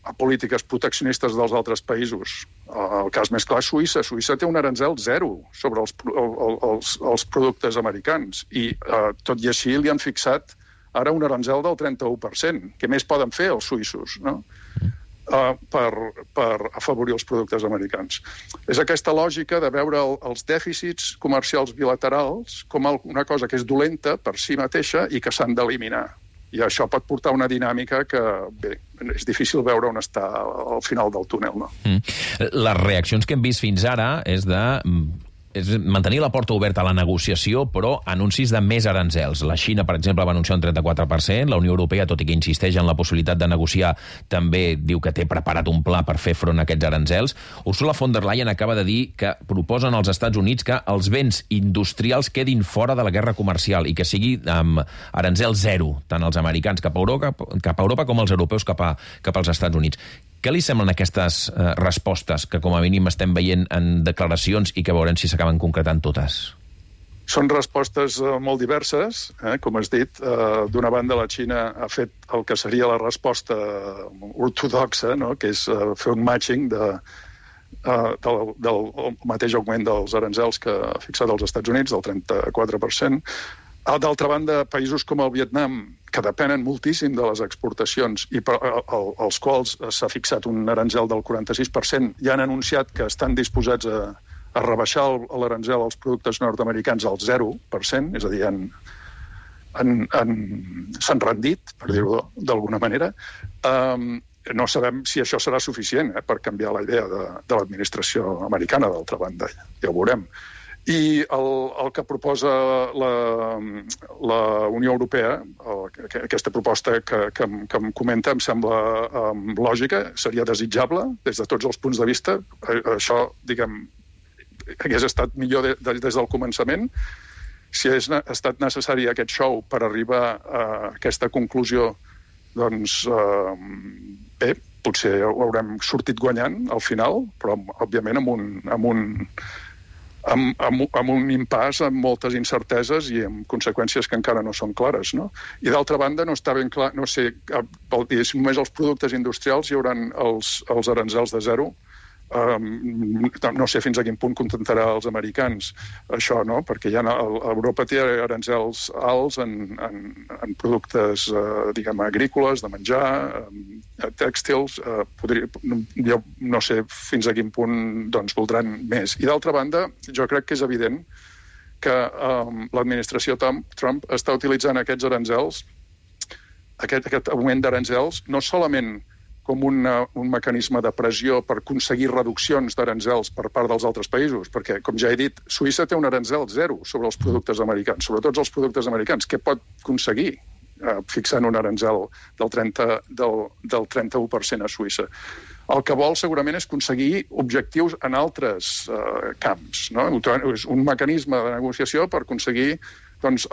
a polítiques proteccionistes dels altres països. El cas més clar és Suïssa. Suïssa té un aranzel zero sobre els productes americans i tot i així li han fixat ara un aranzel del 31%. Què més poden fer els suïssos, no? Per afavorir els productes americans. És aquesta lògica de veure els dèficits comercials bilaterals com una cosa que és dolenta per si mateixa i que s'han d'eliminar. I això pot portar una dinàmica que, bé, és difícil veure on està al final del túnel, no? Les reaccions que hem vist fins ara és mantenir la porta oberta a la negociació, però anuncis de més aranzels. La Xina, per exemple, va anunciar un 34%, la Unió Europea, tot i que insisteix en la possibilitat de negociar, també diu que té preparat un pla per fer front a aquests aranzels. Ursula von der Leyen acaba de dir que proposen als Estats Units que els béns industrials quedin fora de la guerra comercial i que sigui amb aranzel zero, tant els americans cap a Europa com els europeus cap als Estats Units. Què li semblen aquestes respostes que com a mínim estem veient en declaracions i que veurem si s'acaben concretant totes? Són respostes molt diverses, com has dit. D'una banda, la Xina ha fet el que seria la resposta ortodoxa, no? Que és fer un matching del mateix augment dels aranzels que ha fixat els Estats Units, del 34%. D'altra banda, països com el Vietnam, que depenen moltíssim de les exportacions i als quals s'ha fixat un aranzel del 46%, ja han anunciat que estan disposats a rebaixar l'aranzel als productes nord-americans al 0%, és a dir, s'han rendit, per dir-ho d'alguna manera. No sabem si això serà suficient per canviar la idea de l'administració americana, d'altra banda, ja ho veurem. I el que proposa la Unió Europea, aquesta proposta que em comenta, em sembla lògica, seria desitjable des de tots els punts de vista. Això, diguem, hagués estat millor des del començament. Si ha estat necessari aquest show per arribar a aquesta conclusió, doncs, bé, potser ho haurem sortit guanyant al final, però, òbviament, amb un impàs, amb moltes incerteses i amb conseqüències que encara no són clares, no? I d'altra banda, no està ben clar, no sé, si només els productes industrials hi haurà els aranzels de zero. No sé fins a quin punt contentarà els americans això, no? Perquè Europa té aranzels alts en productes, diguem, agrícoles, de menjar, tèxtils. Jo no sé fins a quin punt voldran més. I d'altra banda, jo crec que és evident que l'administració Trump està utilitzant aquests aranzels, aquest augment d'aranzels, no solament com un mecanisme de pressió per aconseguir reduccions d'aranzels per part dels altres països, perquè, com ja he dit, Suïssa té un aranzel zero sobre els productes americans, sobre tots els productes americans. Què pot aconseguir fixant un aranzel del 31% a Suïssa? El que vol segurament és aconseguir objectius en altres camps, no? És un mecanisme de negociació per aconseguir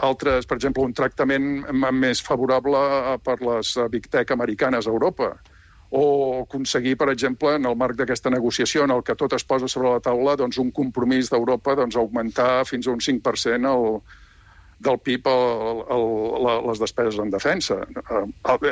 altres, per exemple, un tractament més favorable per les Big Tech americanes a Europa, o aconseguir, per exemple, en el marc d'aquesta negociació en el que tot es posa sobre la taula, un compromís d'Europa augmentar fins a un 5% del PIB les despeses en defensa.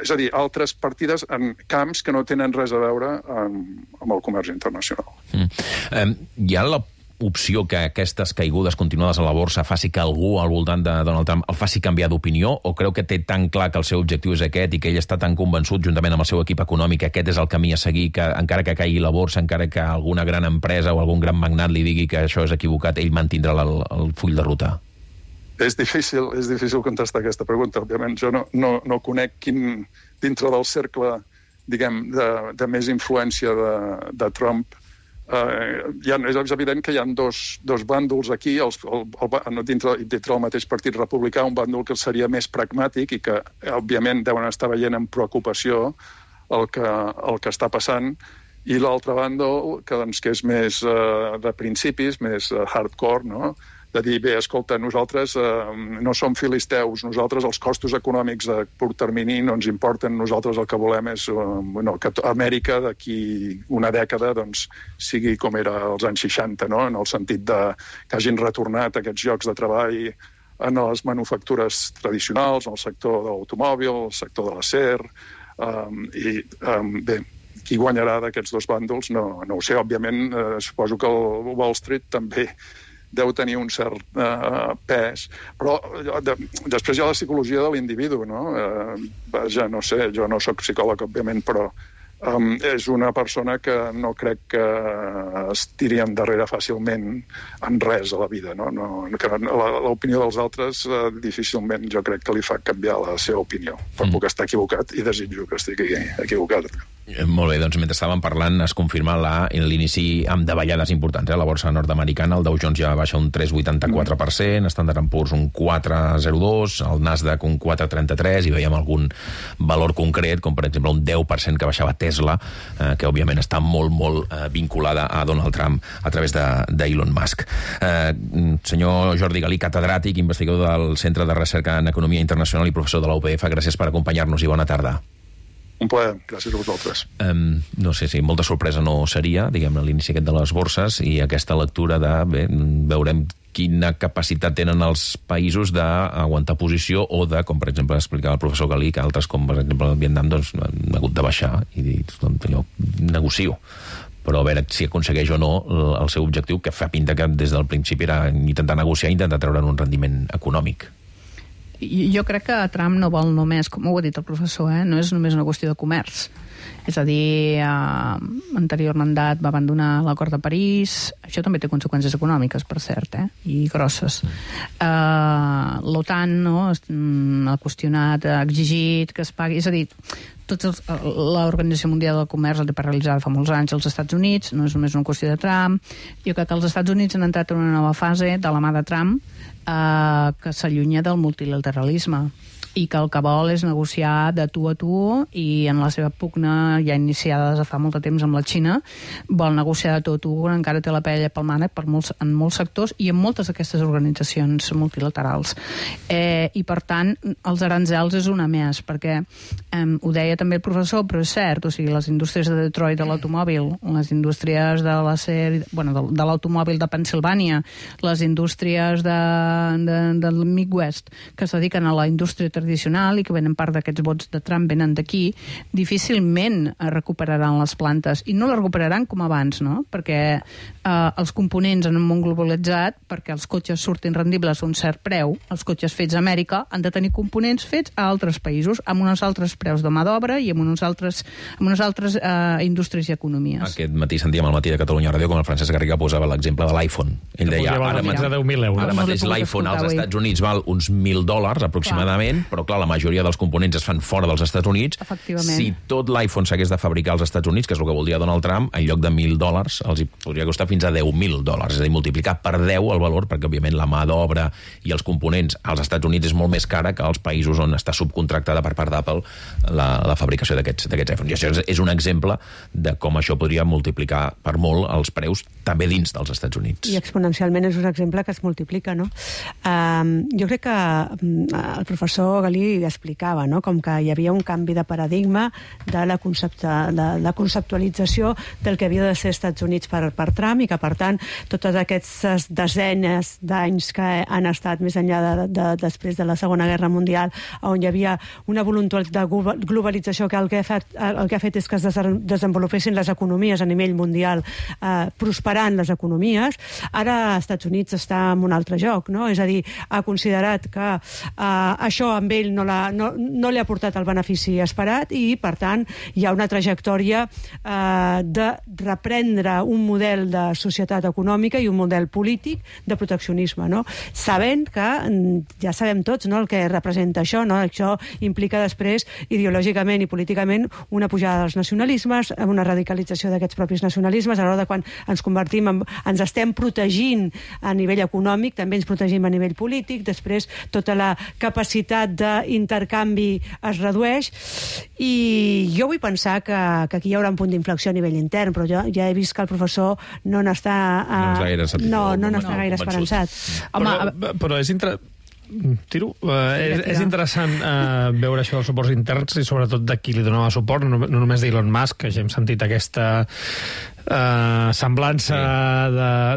És a dir, altres partides en camps que no tenen res a veure amb el comerç internacional. Hi ha la opció que aquestes caigudes continuades a la borsa faci que algú al voltant de Donald Trump el faci canviar d'opinió, o creu que té tan clar que el seu objectiu és aquest i que ell està tan convençut, juntament amb el seu equip econòmic, que aquest és el camí a seguir, que encara que caigui la borsa, encara que alguna gran empresa o algun gran magnat li digui que això és equivocat, ell mantindrà el full de ruta? És difícil contestar aquesta pregunta. Òbviament, jo no conec quin, dintre del cercle, diguem, de més influència de Trump, és evident que hi ha dos bàndols aquí, dintre del mateix partit republicà, un bàndol que seria més pragmàtic i que, òbviament, deuen estar veient amb preocupació el que està passant, i l'altre bàndol, que és més de principis, més hardcore, no? de dir, bé, escolta, nosaltres no som filisteus, nosaltres els costos econòmics de curt termini no ens importen, nosaltres el que volem és que Amèrica d'aquí una dècada doncs, sigui com era als anys 60, no? En el sentit que hagin retornat aquests llocs de treball en les manufactures tradicionals, en el sector de l'automòbil, el sector de l'acer, bé, qui guanyarà d'aquests dos bàndols no ho sé. Òbviament, suposo que el Wall Street també deu tenir un cert pes, però després hi ha la psicologia de l'individu, no? Vaja, no sé, jo no sóc psicòleg, òbviament, però és una persona que no crec que es tiri endarrere fàcilment en res a la vida, no? L'opinió dels altres difícilment jo crec que li fa canviar la seva opinió, però puc estar equivocat i desitjo que estigui equivocat. Molt bé, doncs mentre estàvem parlant es confirma l'inici amb davallades importants. La borsa nord-americana, el Dow Jones ja baixa un 3,84%, Standard & Poor's un 4,02%, el Nasdaq un 4,33%, i veiem algun valor concret, com per exemple un 10% que baixava Tesla, que òbviament està molt, molt vinculada a Donald Trump a través d'Elon Musk. Senyor Jordi Galí, catedràtic, investigador del Centre de Recerca en Economia Internacional i professor de la UPF, gràcies per acompanyar-nos i bona tarda. Un plaer, gràcies a vosaltres. No sé si molta sorpresa no seria, diguem-ne, l'inici aquest de les borses i aquesta lectura de, bé, veurem quina capacitat tenen els països d'aguantar posició o de, com per exemple explicava el professor Galí, que altres, com per exemple el Vietnam, doncs han hagut de baixar i dir, jo negocio. Però a veure si aconsegueix o no el seu objectiu, que fa pinta que des del principi era intentar negociar i intentar treure'n un rendiment econòmic. Jo crec que Trump no vol només, com ho ha dit el professor, no és només una qüestió de comerç. És a dir, anterior mandat va abandonar l'acord de París, això també té conseqüències econòmiques, per cert, i grosses. L'OTAN ha qüestionat, ha exigit que es pagui, és a dir, l'Organització Mundial del Comerç el té paralitzada fa molts anys als Estats Units, no és només una qüestió de Trump. Jo crec que els Estats Units han entrat en una nova fase de la mà de Trump que s'allunya del multilateralisme i que el que vol és negociar de tu a tu, i en la seva pugna ja iniciada des de fa molt de temps amb la Xina vol negociar de tu a tu, encara té la pell pel mànec en molts sectors i en moltes d'aquestes organitzacions multilaterals. I per tant els aranzels és una més, perquè ho deia també el professor, però és cert, o sigui, les indústries de Detroit de l'automòbil, les indústries de l'acer, de l'automòbil de Pensilvània, les indústries del Midwest que es dediquen a la indústria tradicional i que venen part d'aquests vots de Trump venen d'aquí, difícilment recuperaran les plantes, i no les recuperaran com abans, no? Perquè els components en un món globalitzat, perquè els cotxes surtin rendibles a un cert preu, els cotxes fets a Amèrica han de tenir components fets a altres països, amb uns altres preus de mà d'obra i amb unes altres indústries i economies. Aquest matí sentíem al Matí de Catalunya Ràdio com el Francesc Garriga posava l'exemple de l'iPhone. Ell deia, ara mateix l'iPhone als Estats Units val uns $1.000 aproximadament, però clar, la majoria dels components es fan fora dels Estats Units. Si tot l'iPhone s'hagués de fabricar als Estats Units, que és el que vol dir Donald Trump, en lloc de $1.000 els hi podria costar fins a $10.000, és a dir, multiplicar per 10 el valor, perquè òbviament la mà d'obra i els components als Estats Units és molt més cara que als països on està subcontractada per part d'Apple la fabricació d'aquests iPhones. I això és un exemple de com això podria multiplicar per molt els preus també dins dels Estats Units. I exponencialment és un exemple que es multiplica, no? Jo crec que el professor Galí explicava, no?, com que hi havia un canvi de paradigma de la conceptualització del que havia de ser Estats Units per Trump, i que, per tant, totes aquestes desenes d'anys que han estat més enllà després de la Segona Guerra Mundial, on hi havia una voluntat de globalització que el que ha fet és que es desenvolupessin les economies a nivell mundial, prosperant les economies. Ara els Estats Units està en un altre joc, no? És a dir, ha considerat que això amb ell no li ha portat el benefici esperat, i per tant hi ha una trajectòria de reprendre un model de societat econòmica i un model polític de proteccionisme, no? Sabent que ja sabem tots, no?, el que representa això, no? Això implica després ideològicament i políticament una pujada dels nacionalismes, una radicalització d'aquests propis nacionalismes. A l'hora de quan ens estem protegint a nivell econòmic, també ens protegim a nivell polític. Després tota la capacitat d'intercanvi es redueix, i jo vull pensar que aquí hi haurà un punt d'inflexió a nivell intern, però jo ja he vist que el professor no n'està gaire esperançat. Però és és interessant veure això dels suports interns i sobretot de qui li donava suport, no només d'Elon Musk, que ja hem sentit aquesta semblança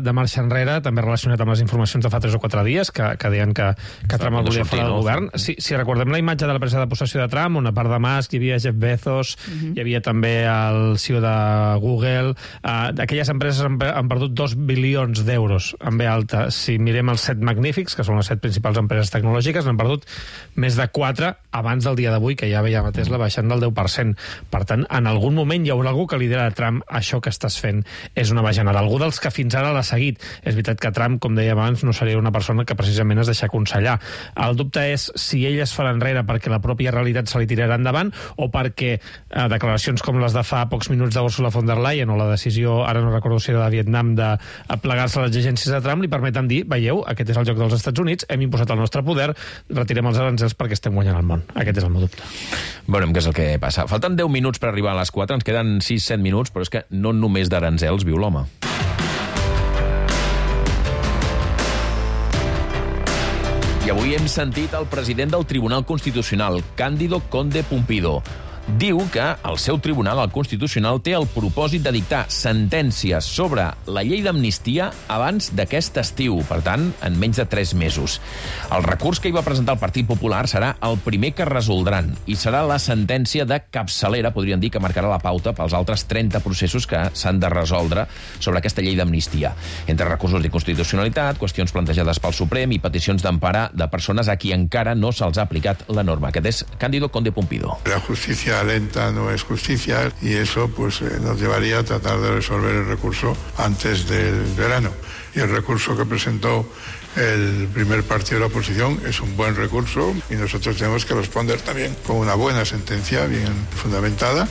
de marxa enrere, també relacionat amb les informacions de fa 3 o 4 dies que deien que Trump el volia fora del govern. Si recordem la imatge de la presa de possessió de Trump, on a part de Musk hi havia Jeff Bezos, hi havia també el CEO de Google, aquelles empreses han perdut 2 bilions d'euros en B alta. Si mirem els 7 magnífics, que són les 7 principals empreses tecnològiques, n'han perdut més de 4 abans del dia d'avui, que ja veiem a Tesla baixant del 10%. Per tant, en algun moment hi haurà algú que li dirà a Trump: això que estàs fent és una bajanada. Algú dels que fins ara l'ha seguit. És veritat que Trump, com deia abans, no seria una persona que precisament es deixa aconsellar. El dubte és si ell es farà enrere perquè la pròpia realitat se li tirarà endavant o perquè declaracions com les de fa pocs minuts d'Ursula von der Leyen o la decisió, ara no recordo si era de Vietnam, de plegar-se a les exigències de Trump, li permeten dir: veieu, aquest és el joc dels Estats Units, hem imposat el nostre poder, retirem els aranzels perquè estem guanyant el món. Aquest és el meu dubte. Veurem què és el que passa. Falten 10 minuts per arribar a les 4, ens queden 6-7 minuts, però és que no només d'aranzels viu l'home. I avui hem sentit el president del Tribunal Constitucional, Cándido Conde Pumpido. Diu que el seu tribunal, el Constitucional, té el propòsit de dictar sentències sobre la llei d'amnistia abans d'aquest estiu, per tant, en menys de 3 mesos. El recurs que hi va presentar el Partit Popular serà el primer que resoldran i serà la sentència de capçalera, podríem dir, que marcarà la pauta pels altres 30 processos que s'han de resoldre sobre aquesta llei d'amnistia. Entre recursos d'inconstitucionalitat, qüestions plantejades pel Suprem i peticions d'emparar de persones a qui encara no se'ls ha aplicat la norma. Aquest és Cándido Conde Pumpido. La justicia lenta no es justicia y eso pues nos llevaría a tratar de resolver el recurso antes del verano. Y el recurso que presentó el primer partido de la oposición es un buen recurso y nosotros tenemos que responder también con una buena sentencia bien fundamentada.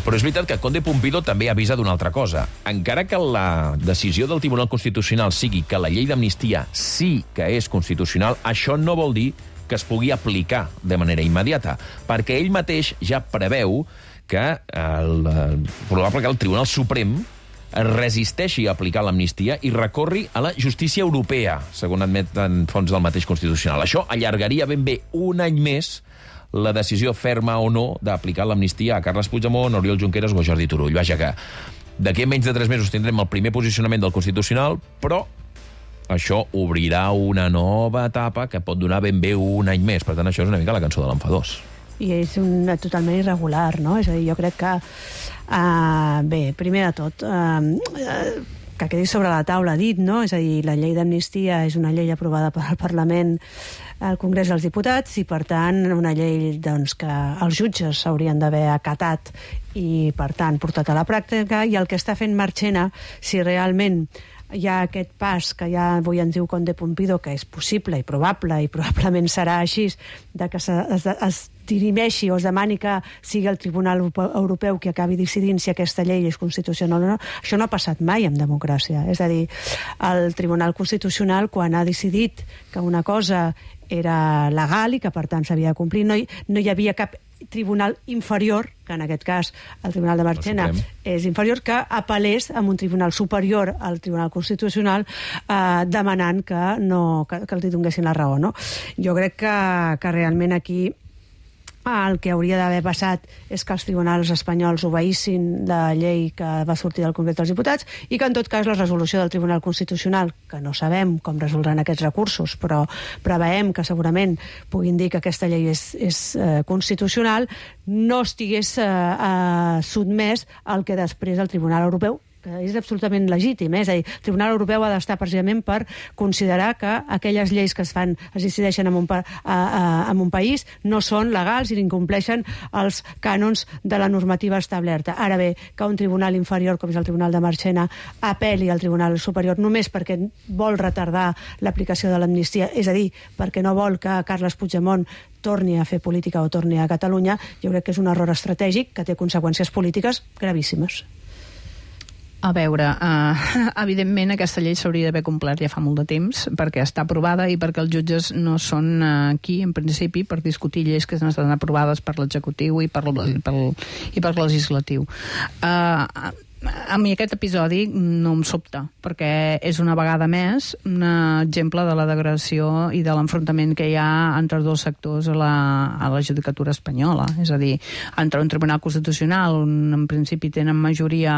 Però és veritat que Conde Pumpido també avisa d'una altra cosa. Encara que la decisió del Tribunal Constitucional sigui que la llei d'amnistia sí que és constitucional, això no vol dir que es pugui aplicar de manera immediata, perquè ell mateix ja preveu que probable que el Tribunal Suprem es resisteixi a aplicar l'amnistia i recorri a la justícia europea, segons admeten fonts del mateix Constitucional. Això allargaria ben bé un any més la decisió ferma o no d'aplicar l'amnistia a Carles Puigdemont, Oriol Junqueras o Jordi Turull. Vaja que d'aquí a menys de 3 mesos tindrem el primer posicionament del Constitucional, però això obrirà una nova etapa que pot donar ben bé un any més. Per tant, això és una mica la cançó de l'enfadós. I és totalment irregular, no? És a dir, jo crec que... bé, primer de tot, que quedi sobre la taula dit, no? És a dir, la llei d'amnistia és una llei aprovada pel Parlament al Congrés dels Diputats i, per tant, una llei doncs, que els jutges s'haurien d'haver acatat i, per tant, portat a la pràctica, i el que està fent Marchena, si realment hi ha aquest pas que ja avui ens diu Conde Pumpido que és possible i probablement serà així, de que es dirimeixi o es demani que sigui el Tribunal Europeu qui acabi decidint si aquesta llei és constitucional o no. Això no ha passat mai en democràcia. És a dir, el Tribunal Constitucional, quan ha decidit que una cosa era legal i que, per tant, s'havia de complir, no hi havia cap tribunal inferior, que en aquest cas el Tribunal de Marchena és inferior, que apel·lés a un tribunal superior al Tribunal Constitucional demanant que els donessin la raó. No? Jo crec que realment aquí el que hauria d'haver passat és que els tribunals espanyols obeïssin la llei que va sortir del Congrés dels Diputats i que, en tot cas, la resolució del Tribunal Constitucional, que no sabem com resoldran aquests recursos, però preveiem que segurament puguin dir que aquesta llei és constitucional, no estigués sotmès al que després el Tribunal Europeu, que és absolutament legítim. És a dir, el Tribunal Europeu ha d'estar precisament per considerar que aquelles lleis que es decideixen en un país no són legals i incompleixen els cànons de la normativa establerta. Ara bé, que un tribunal inferior, com és el Tribunal de Marchena, apel·li al Tribunal Superior només perquè vol retardar l'aplicació de l'amnistia, és a dir, perquè no vol que Carles Puigdemont torni a fer política o torni a Catalunya, jo crec que és un error estratègic que té conseqüències polítiques gravíssimes. A veure, evidentment aquesta llei s'hauria d'haver complert ja fa molt de temps perquè està aprovada i perquè els jutges no són aquí, en principi, per discutir lleis que estan aprovades per l'executiu i per legislatiu. A mi aquest episodi no em sobta, perquè és una vegada més un exemple de la degradació i de l'enfrontament que hi ha entre els dos sectors a la judicatura espanyola. És a dir, entre un tribunal constitucional on en principi tenen majoria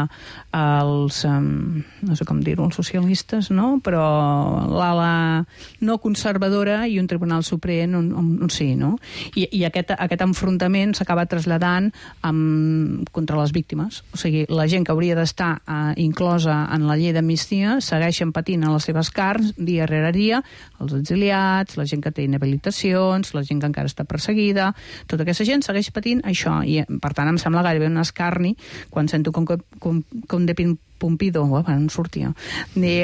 els, no sé com dir-ho, els socialistes, no? Però l'ala no conservadora i un tribunal suprem on sí, no? I aquest enfrontament s'acaba traslladant contra les víctimes. O sigui, la gent que hauria d'estar inclosa en la llei d'amnistia segueixen patint a les seves carns dia rere dia, els exiliats, la gent que té inhabilitacions, la gent que encara està perseguida, tota aquesta gent segueix patint això i per tant em sembla gairebé un escarni quan sento com de Pompido, no sortia.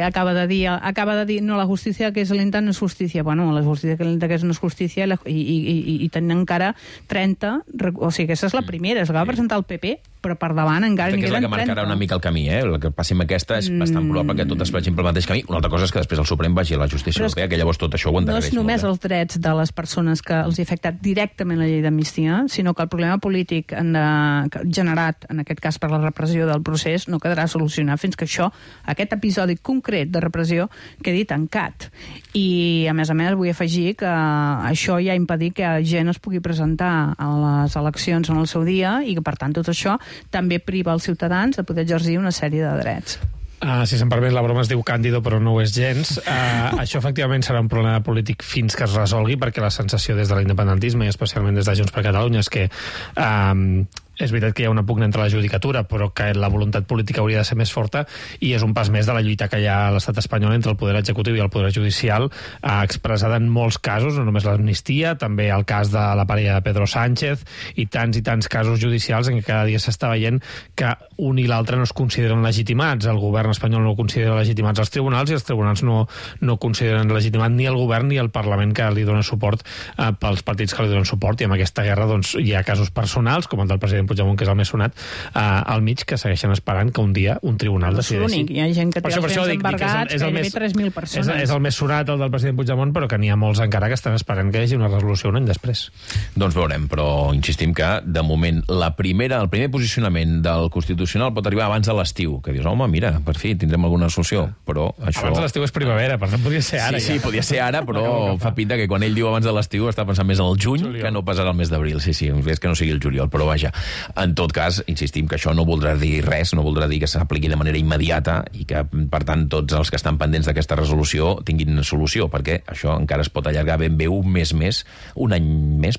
Acaba de dir, no, la justícia que és lenta no és justícia. Bueno, la justícia que és lenta que no és justícia i tenen encara 30, o sigui, aquesta és la primera, es va presentar el PP, però per davant encara n'hi queden 30. És la que marcarà una mica el camí, El que passi amb aquesta és bastant probable que totes vagin pel mateix camí. Una altra cosa és que després el Suprem vagi a la justícia europea, que llavors tot això ho endarrereix. No és només els drets de les persones que els ha afectat directament la llei d'amnistia, sinó que el problema polític generat, en aquest cas per la repressió del procés, no quedarà solucionat fins que aquest episodi concret de repressió quedi tancat. I, a més, vull afegir que això ja ha impedit que gent es pugui presentar a les eleccions en el seu dia i que, per tant, tot això també priva els ciutadans de poder exercir una sèrie de drets. Si se'm permet, la broma es diu Càndido, però no ho és gens. Això, efectivament, serà un problema polític fins que es resolgui, perquè la sensació des de l'independentisme, i especialment des de Junts per Catalunya, és que és veritat que hi ha una pugna entre la judicatura, però que la voluntat política hauria de ser més forta i és un pas més de la lluita que hi ha a l'estat espanyol entre el poder executiu i el poder judicial, expressada en molts casos, no només l'amnistia, també el cas de la parella de Pedro Sánchez i tants casos judicials en què cada dia s'està veient que un i l'altre no es consideren legitimats. El govern espanyol no considera legitimats els tribunals i els tribunals no consideren legitimat ni el govern ni el Parlament que li dona suport pels partits que li donen suport, i amb aquesta guerra hi ha casos personals, com el del president Puigdemont, que és el més sonat, al mig, que segueixen esperant que un dia un tribunal decideixi. Hi ha gent que té els béns embargats, gairebé 3.000 persones. És el més sonat, el del president Puigdemont, però que n'hi ha molts encara que estan esperant que hi hagi una resolució un any després. Doncs veurem, però insistim que, de moment, el primer posicionament del Constitucional pot arribar abans de l'estiu, que dius, home, mira, per fi, tindrem alguna solució, però això... Abans de l'estiu és primavera, per tant podria ser ara. Sí, podria ser ara, però fa pinta que quan ell diu abans de l'estiu està pensant més en el juny que no passarà el mes d'abril. Sí, és que no sigui el juliol, però vaja. En tot cas, insistim que això no voldrà dir res, no voldrà dir que s'apliqui de manera immediata i que, per tant, tots els que estan pendents d'aquesta resolució tinguin solució, perquè això encara es pot allargar ben bé un any més,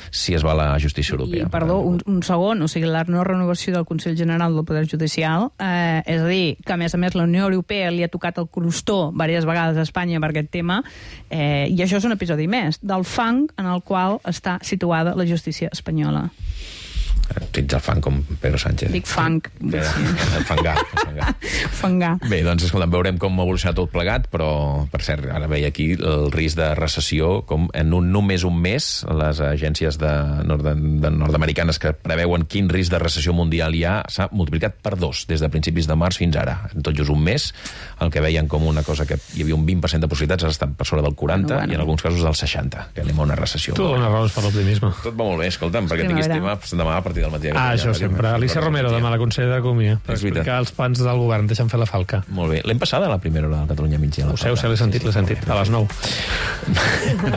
si es va a la justícia europea. I, un segon, o sigui, la no renovació del Consell General del Poder Judicial, és a dir, que a més la Unió Europea li ha tocat el crostó diverses vegades a Espanya per aquest tema, i això és un episodi més del fang en el qual està situada la justícia espanyola. Tens el fang com Pedro Sánchez. Dic fang. Fangar. Bé, doncs, escolta'm, veurem com evoluciona tot plegat, però, per cert, ara veia aquí el risc de recessió, com en només un mes, les agències nord-americanes que preveuen quin risc de recessió mundial hi ha s'ha multiplicat per 2 des de principis de març fins ara. En tot just un mes, el que veien com una cosa que hi havia un 20% de possibilitats ha estat per sobre del 40 i en alguns casos del 60, que anem a una recessió. Tu dones raons per l'optimisme. Tot va molt bé, escolta'm, perquè tinguis tema demà a partir del matí. Això sempre. Alicia Romero, demà, la consellera d'Economia, per explicar els plans del govern. Deixa'm fer la falca. Molt bé. L'hem passada a la primera hora del Catalunya Migdia. Ho sé, l'he sentit, a les 9.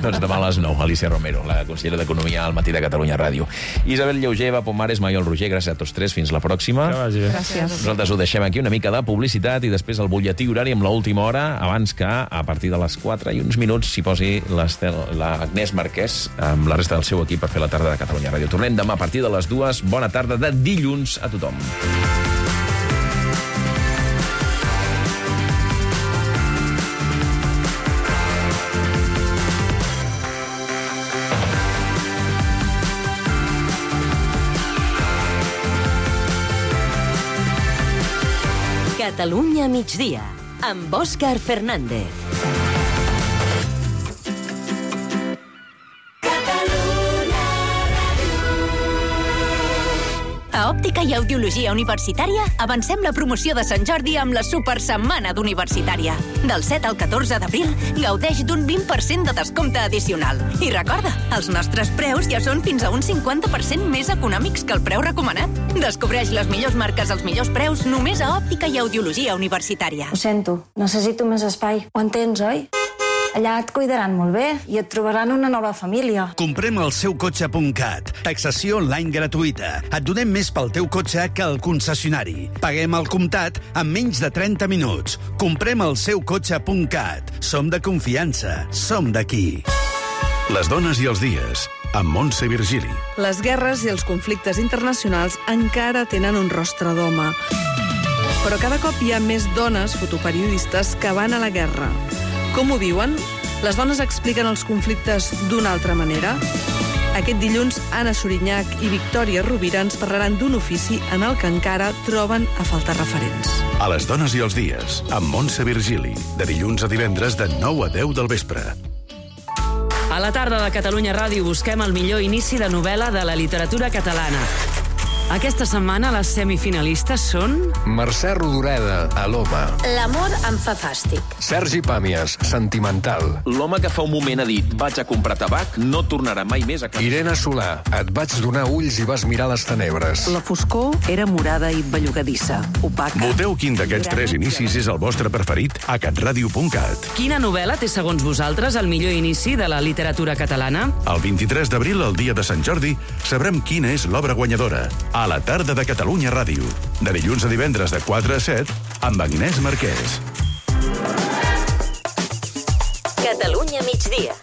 Doncs demà a les 9, Alicia Romero, la consellera d'Economia al matí de Catalunya Ràdio. Isabel Lleuger, Eva Pomares, Maiol Roger, gràcies a tots tres. Fins la pròxima. Gràcies. Nosaltres ho deixem aquí, una mica de publicitat i després el butlletí horari amb l'última hora, abans que a partir de les 4 i uns minuts s'hi posi l'Agnès Marquès amb la resta del seu equip per fer la tarda de Catalunya Ràdio. Tornem demà a partir de les 2. Bona tarda de dilluns a tothom. Catalunya migdia, amb Òscar Fernández. A Òptica i Audiologia Universitària avancem la promoció de Sant Jordi amb la Supersetmana d'Universitària. Del 7 al 14 d'abril gaudeix d'un 20% de descompte addicional. I recorda, els nostres preus ja són fins a un 50% més econòmics que el preu recomanat. Descobreix les millors marques als millors preus només a Òptica i Audiologia Universitària. Ho sento, necessito més espai. Ho entens, oi? Allà et cuidaran molt bé i et trobaran una nova família. Comprem el seukotxe.cat. Taxació online gratuïta. Et donem més pel teu cotxe que al concessionari. Paguem al comptat en menys de 30 minuts. Comprem el seukotxe.cat. Som de confiança. Som d'aquí. Les dones i els dies, amb Montse Virgili. Les guerres i els conflictes internacionals encara tenen un rostre d'home. Però cada cop hi ha més dones fotoperiodistes que van a la guerra. Com ho viuen? Les dones expliquen els conflictes d'una altra manera? Aquest dilluns, Anna Sorinyac i Victòria Rovira ens parlaran d'un ofici en el que encara troben a faltar referents. A les dones i els dies, amb Montse Virgili, de dilluns a divendres de 9 a 10 del vespre. A la tarda de Catalunya Ràdio busquem el millor inici de novel·la de la literatura catalana. Aquesta setmana les semifinalistes són... Mercè Rodoreda, a l'Home. L'amor em fa fàstic. Sergi Pàmies, Sentimental. L'home que fa un moment ha dit vaig a comprar tabac, no tornarà mai més a casa. Irene Solà, et vaig donar ulls i vas mirar les tenebres. La foscor era morada i bellugadissa, opaca. Voteu quin d'aquests 3 inicis és el vostre preferit a catradio.cat. Quina novel·la té, segons vosaltres, el millor inici de la literatura catalana? El 23 d'abril, el dia de Sant Jordi, sabrem quina és l'obra guanyadora. A la tarda de Catalunya Ràdio. De dilluns a divendres de 4 a 7, amb Agnès Marquès. Catalunya migdia.